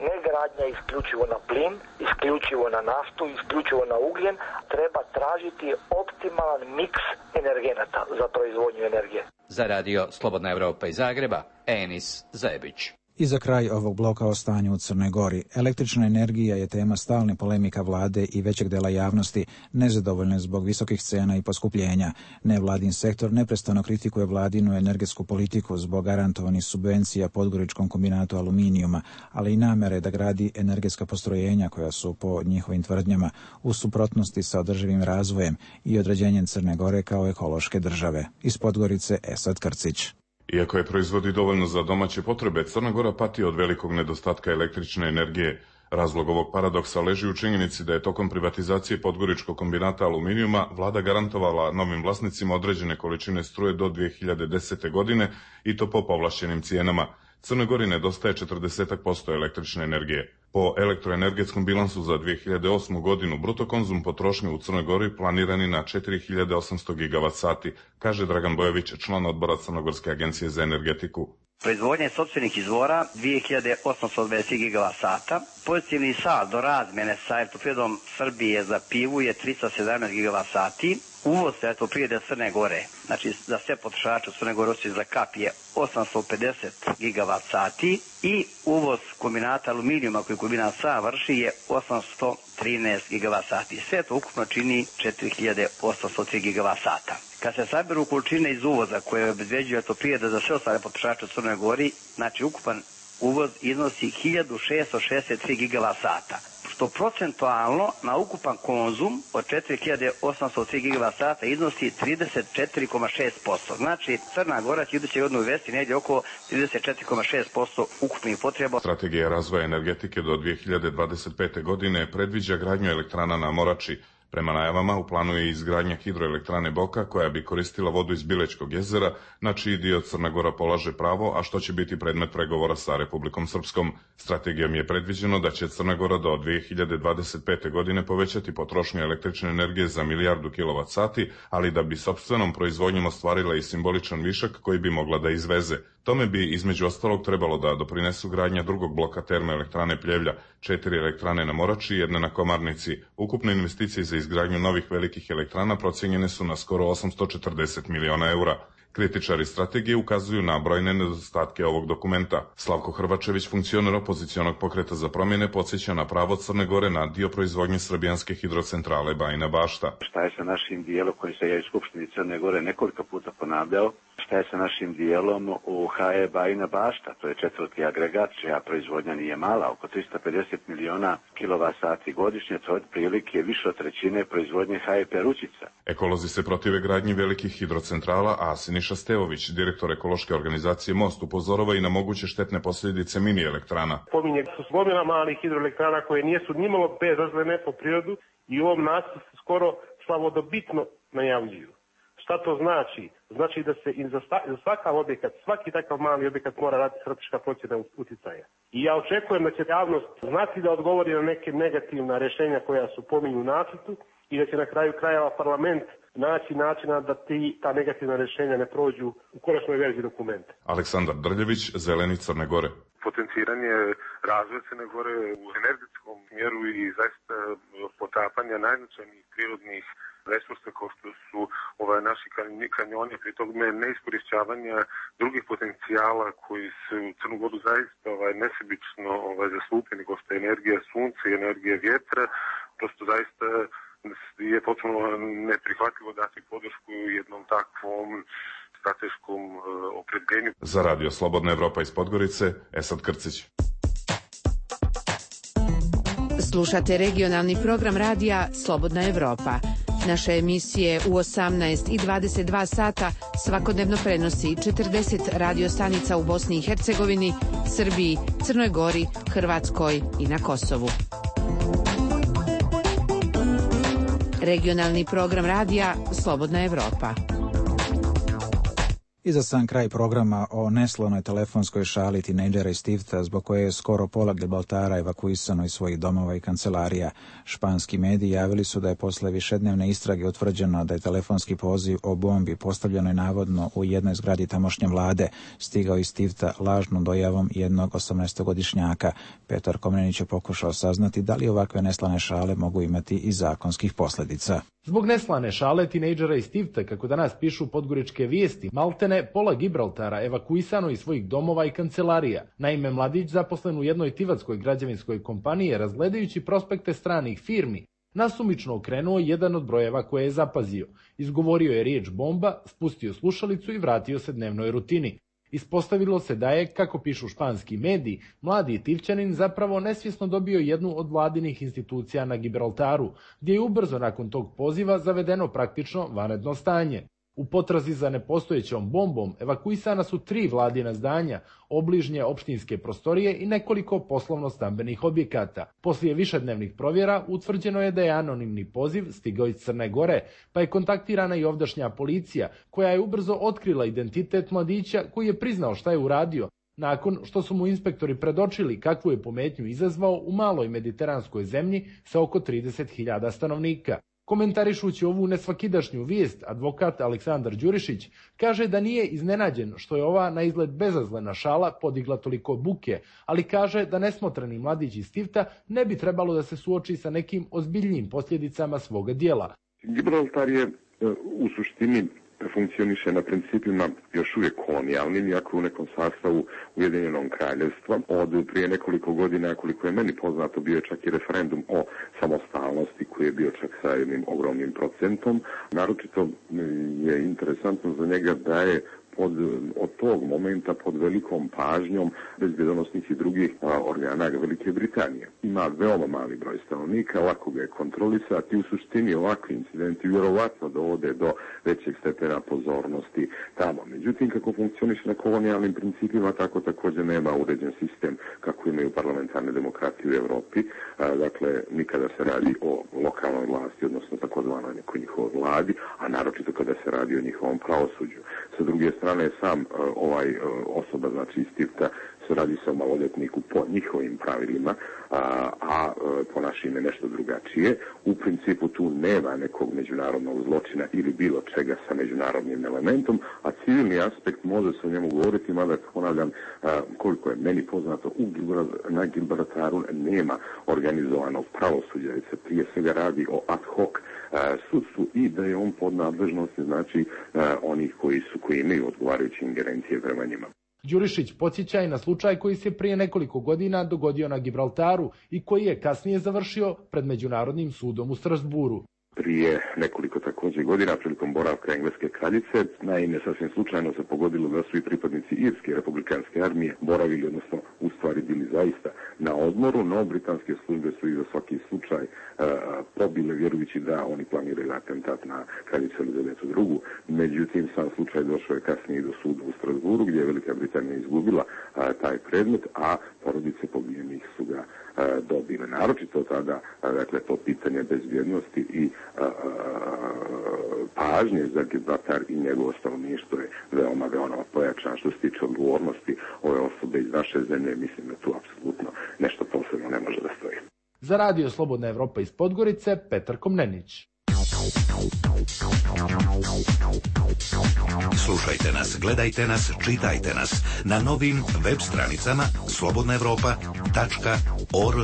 S3: Ne gradnja isključivo na plin, isključivo na naftu, isključivo na ugljen, treba tražiti optimalan miks energenata za proizvodnju energije.
S14: Za radio Slobodna Europa iz Zagreba, Enis Zebić.
S1: I za kraj ovog bloka o stanju u Crnoj Gori. Električna energija je tema stalne polemika vlade i većeg dela javnosti, nezadovoljne zbog visokih cena i poskupljenja. Nevladin sektor neprestano kritikuje vladinu energetsku politiku zbog garantovanih subvencija Podgoričkom kombinatu aluminijuma, ali i namere da gradi energetska postrojenja koja su po njihovim tvrdnjama u suprotnosti sa održivim razvojem i određenjem Crne Gore kao ekološke države. Iz Podgorice Esad Krcić.
S10: Iako je proizvodi dovoljno za domaće potrebe, Crna Gora pati od velikog nedostatka električne energije. Razlog ovog paradoksa leži u činjenici da je tokom privatizacije Podgoričkog kombinata aluminijuma vlada garantovala novim vlasnicima određene količine struje do dvije hiljade desete. godine i to po povlašćenim cijenama. Crnoj Gori nedostaje četrdeset posto električne energije. Po elektroenergetskom bilansu za dvije hiljade osmu. godinu bruto konzum potrošnje u Crnoj Gori planirani na četiri hiljade osamsto gigavat sati, kaže Dragan Bojović, član odbora Crnogorske agencije za energetiku.
S12: Proizvodnje sopstvenih izvora dvije hiljade osamsto dvadeset gigavat sata. Pozitivni saldo razmjene sa Elektroprivredom Srbije za pivu je trista sedamnaest gigavat sati. Uvoz Elektroprivrede Crne Gore, znači za sve potrošače u Crne Gore osim za kap je osamsto pedeset gigavat sati i uvoz kombinata aluminijuma koji kombinat sa vrši je osamsto trinaest gigavat sati. Sve to ukupno čini četiri hiljade osamsto tri gigavat sata. Kad se saberu količine iz uvoza koje obezbeđuje Elektroprivreda za sve ostale potrošače u Crnoj Gori, znači ukupan uvoz iznosi hiljadu šessto šezdeset tri gigavat sata, što procentualno na ukupan konzum od četiri hiljade osamsto tri gigavat sata iznosi trideset četiri zarez šest posto. Znači, Crna Gora će iduće godine uvesti negdje oko trideset četiri zarez šest posto ukupnih potreba.
S10: Strategija razvoja energetike do dvije hiljade dvadeset pete. godine predviđa gradnju elektrana na Morači. Prema najavama u planu je izgradnja hidroelektrane Boka koja bi koristila vodu iz Bilečkog jezera, na čiji dio Crna Gora polaže pravo, a što će biti predmet pregovora sa Republikom Srpskom. Strategijom je predviđeno da će Crna Gora do dvije hiljade dvadeset pete. godine povećati potrošnju električne energije za milijardu kilovat sati, ali da bi sopstvenom proizvodnjom ostvarila i simboličan višak koji bi mogla da izveze. Tome bi između ostalog trebalo da doprinesu gradnja drugog bloka termoelektrane Pljevlja, četiri elektrane na Morači i jedne na Komarnici. Ukupne investicije za izgradnju novih velikih elektrana procijenjene su na skoro osamsto četrdeset miliona eura. Kritičari strategije ukazuju na brojne nedostatke ovog dokumenta. Slavko Hrvačević, funkcioner opozicionog pokreta za promjene, podsjeća na pravo Crne Gore na dio proizvodnje srbijanske hidrocentrale Bajina Bašta.
S15: Šta je sa našim dijelom koji se je u Skupštini Crne Gore nekoliko puta ponavljao? šta je sa našim dijelom u H E Bajina Bašta, to je četvrti agregat, čija proizvodnja nije mala, oko trista pedeset miliona kilovat sati godišnje, to je otprilike više od trećine proizvodnje H E Perućica.
S10: Ekolozi se protive gradnji velikih hidrocentrala, a Siniša Stevović, direktor ekološke organizacije Most, upozorava i na moguće štetne posljedice mini elektrana.
S16: Pominje su gomila malih hidroelektrana koje nijesu nimalo bezazlene po prirodu i u ovom nacrtu se skoro slavodobitno najavljuju. Šta to znači? Znači da se za, za svakav objekat, svaki takav mali objekat mora raditi strateška procjena utjecaja. I ja očekujem da će javnost znati da odgovori na neke negativna rješenja koja su pominju u nacrtu i da će na kraju krajeva parlament naći načina da ti, ta negativna rješenja ne prođu u konačnoj verziji dokumenta.
S10: Aleksandar Drljević, Zeleni Crne Gore.
S17: Potenciranje razvoja Crne Gore u energetskom smjeru i zaista potapanja najznačajnijih prirodnih resursa kao što su ovaj, naši kanjoni, pri tome neiskorišćavanja drugih potencijala koji se u Crnu Goru zaista ovaj, nesebično ovaj, zastupljeni, kao što je energija sunca i energija vjetra, prosto zaista je potpuno neprihvatljivo dati podršku jednom takvom strateškom uh, opredjeljenju.
S10: Za Radio Slobodna Evropa iz Podgorice, Esad Krcić.
S20: Slušate regionalni program radija Slobodna Evropa. Naše emisije u osamnaest i dvadeset dva sata svakodnevno prenosi četrdeset radio stanica u Bosni i Hercegovini, Srbiji, Crnoj Gori, Hrvatskoj i na Kosovu. Regionalni program radija Slobodna Evropa.
S1: I za sam kraj programa o neslonoj telefonskoj šali tinejdžera iz Tifta, zbog koje je skoro pola Gibraltara evakuisano iz svojih domova i kancelarija. Španski mediji javili su da je posle višednevne istrage utvrđeno da je telefonski poziv o bombi postavljenoj navodno u jednoj zgradi tamošnje vlade stigao iz Tifta lažnom dojavom jednog osamnaestogodišnjaka. Petar Komnenić je pokušao saznati da li ovakve neslane šale mogu imati i zakonskih posljedica.
S22: Zbog neslane šale tinejdžera iz Tifta, kako danas pišu podgoričke vijesti, maltene pola Gibraltara evakuisano iz svojih domova i kancelarija. Naime, mladić zaposlen u jednoj tivatskoj građevinskoj kompaniji, razgledajući prospekte stranih firmi, nasumično okrenuo jedan od brojeva koje je zapazio. Izgovorio je riječ bomba, spustio slušalicu i vratio se dnevnoj rutini. Ispostavilo se da je, kako pišu španski mediji, mladi Tivčanin zapravo nesvjesno dobio jednu od vladinih institucija na Gibraltaru, gdje je ubrzo nakon tog poziva zavedeno praktično vanredno stanje. U potrazi za nepostojećom bombom evakuisana su tri vladina zdanja, obližnje opštinske prostorije i nekoliko poslovno-stambenih objekata. Poslije višednevnih provjera utvrđeno je da je anonimni poziv stigao iz Crne Gore, pa je kontaktirana i ovdašnja policija, koja je ubrzo otkrila identitet mladića koji je priznao šta je uradio, nakon što su mu inspektori predočili kakvu je pometnju izazvao u maloj mediteranskoj zemlji sa oko trideset hiljada stanovnika. Komentarišući ovu nesvakidašnju vijest, advokat Aleksandar Đurišić kaže da nije iznenađen što je ova na izgled bezazlena šala podigla toliko buke, ali kaže da nesmotreni mladić iz Tifta ne bi trebalo da se suoči sa nekim ozbiljnijim posljedicama svoga dijela.
S27: Gibraltar je u suštini funkcioniše na principima još uvijek kolonijalnim, iako u nekom sastavu Ujedinjenog kraljevstva. Od prije nekoliko godina, koliko je meni poznato, bio je čak i referendum o samostalnosti koji je bio čak sa jednim ogromnim procentom. Naročito je interesantno za njega da je Od, od tog momenta pod velikom pažnjom bezbjedonosnih i drugih a, organa Velike Britanije. Ima veoma mali broj stanovnika, lako ga je kontrolisati i u suštini ovakvi incidenti vjerovatno dovode do većeg stepena pozornosti tamo. Međutim, kako funkcioniše na kolonijalnim principima, tako također nema uređen sistem kako imaju parlamentarne demokratije u Europi. A, dakle, nikada se radi o lokalnoj vlasti, odnosno takozvanoj nekoj njihovoj vladi, a naročito kada se radi o njihovom pravosuđu. Sa druge strane, strane sam uh, ovaj uh, osoba, znači iz Tifta, se radi se o maloljetniku po njihovim pravilima, a, a uh, po našim je nešto drugačije. U principu tu nema nekog međunarodnog zločina ili bilo čega sa međunarodnim elementom, a civilni aspekt može se o njemu govoriti, mada ponavljam, uh, koliko je meni poznato, u Gibraltaru, na Gibraltaru nema organizovanog pravosuđa, jer se prije svega radi o ad hoc uh, sudstvu i da je on pod nadležnosti, znači uh, onih koji su koji imaju odgovarajuće ingerencije prema njima.
S22: Đurišić podsjeća i na slučaj koji se prije nekoliko godina dogodio na Gibraltaru i koji je kasnije završio pred Međunarodnim sudom u Strasburu.
S27: prije nekoliko također godina prilikom boravka engleske kraljice. Naime, sasvim slučajno se pogodilo da su i pripadnici Irske republikanske armije boravili, odnosno u stvari bili zaista na odmoru, no britanske službe su i za svaki slučaj uh, pobile, vjerujući da oni planiraju atentat na kraljicu Elizabetu drugu. Međutim, sam slučaj došao je kasnije do suda u Strasburu, gdje je Velika Britanija izgubila uh, taj predmet, a porodice pobijenih su ga uh, dobile. Naročito tada, uh, dakle, to pitanje bezbjednosti i uh, pažnje za Gibraltar i njegovo stanovništvo je veoma, veoma pojačan. Što se tiče odgovornosti ove osobe iz naše zemlje, mislim da tu apsolutno nešto posebno ne može da stoji.
S22: Za Radio Slobodna Evropa iz Podgorice, Petar Komnenić.
S9: Slušajte nas, gledajte nas, čitajte nas na novim web stranicama slobodna evropa tačka org.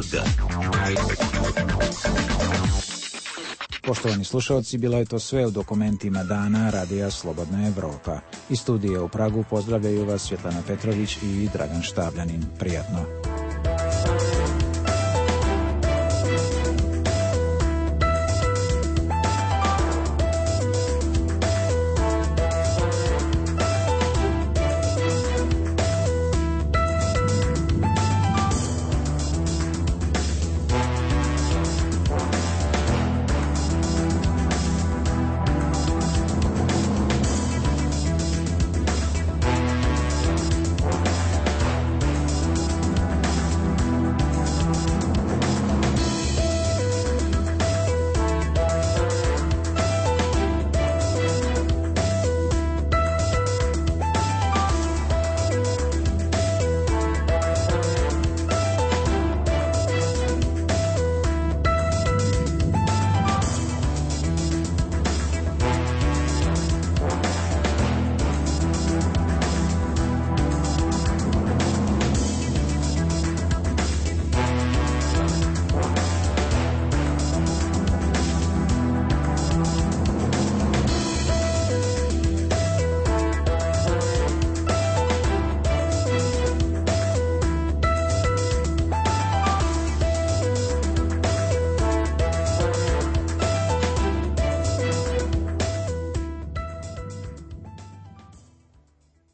S1: Poštovani slušalci, bilo je to sve u dokumentima dana Radija Slobodna Evropa. Iz studija u Pragu pozdravljaju vas Svjetlana Petrović i Dragan Štabljanin. Prijatno.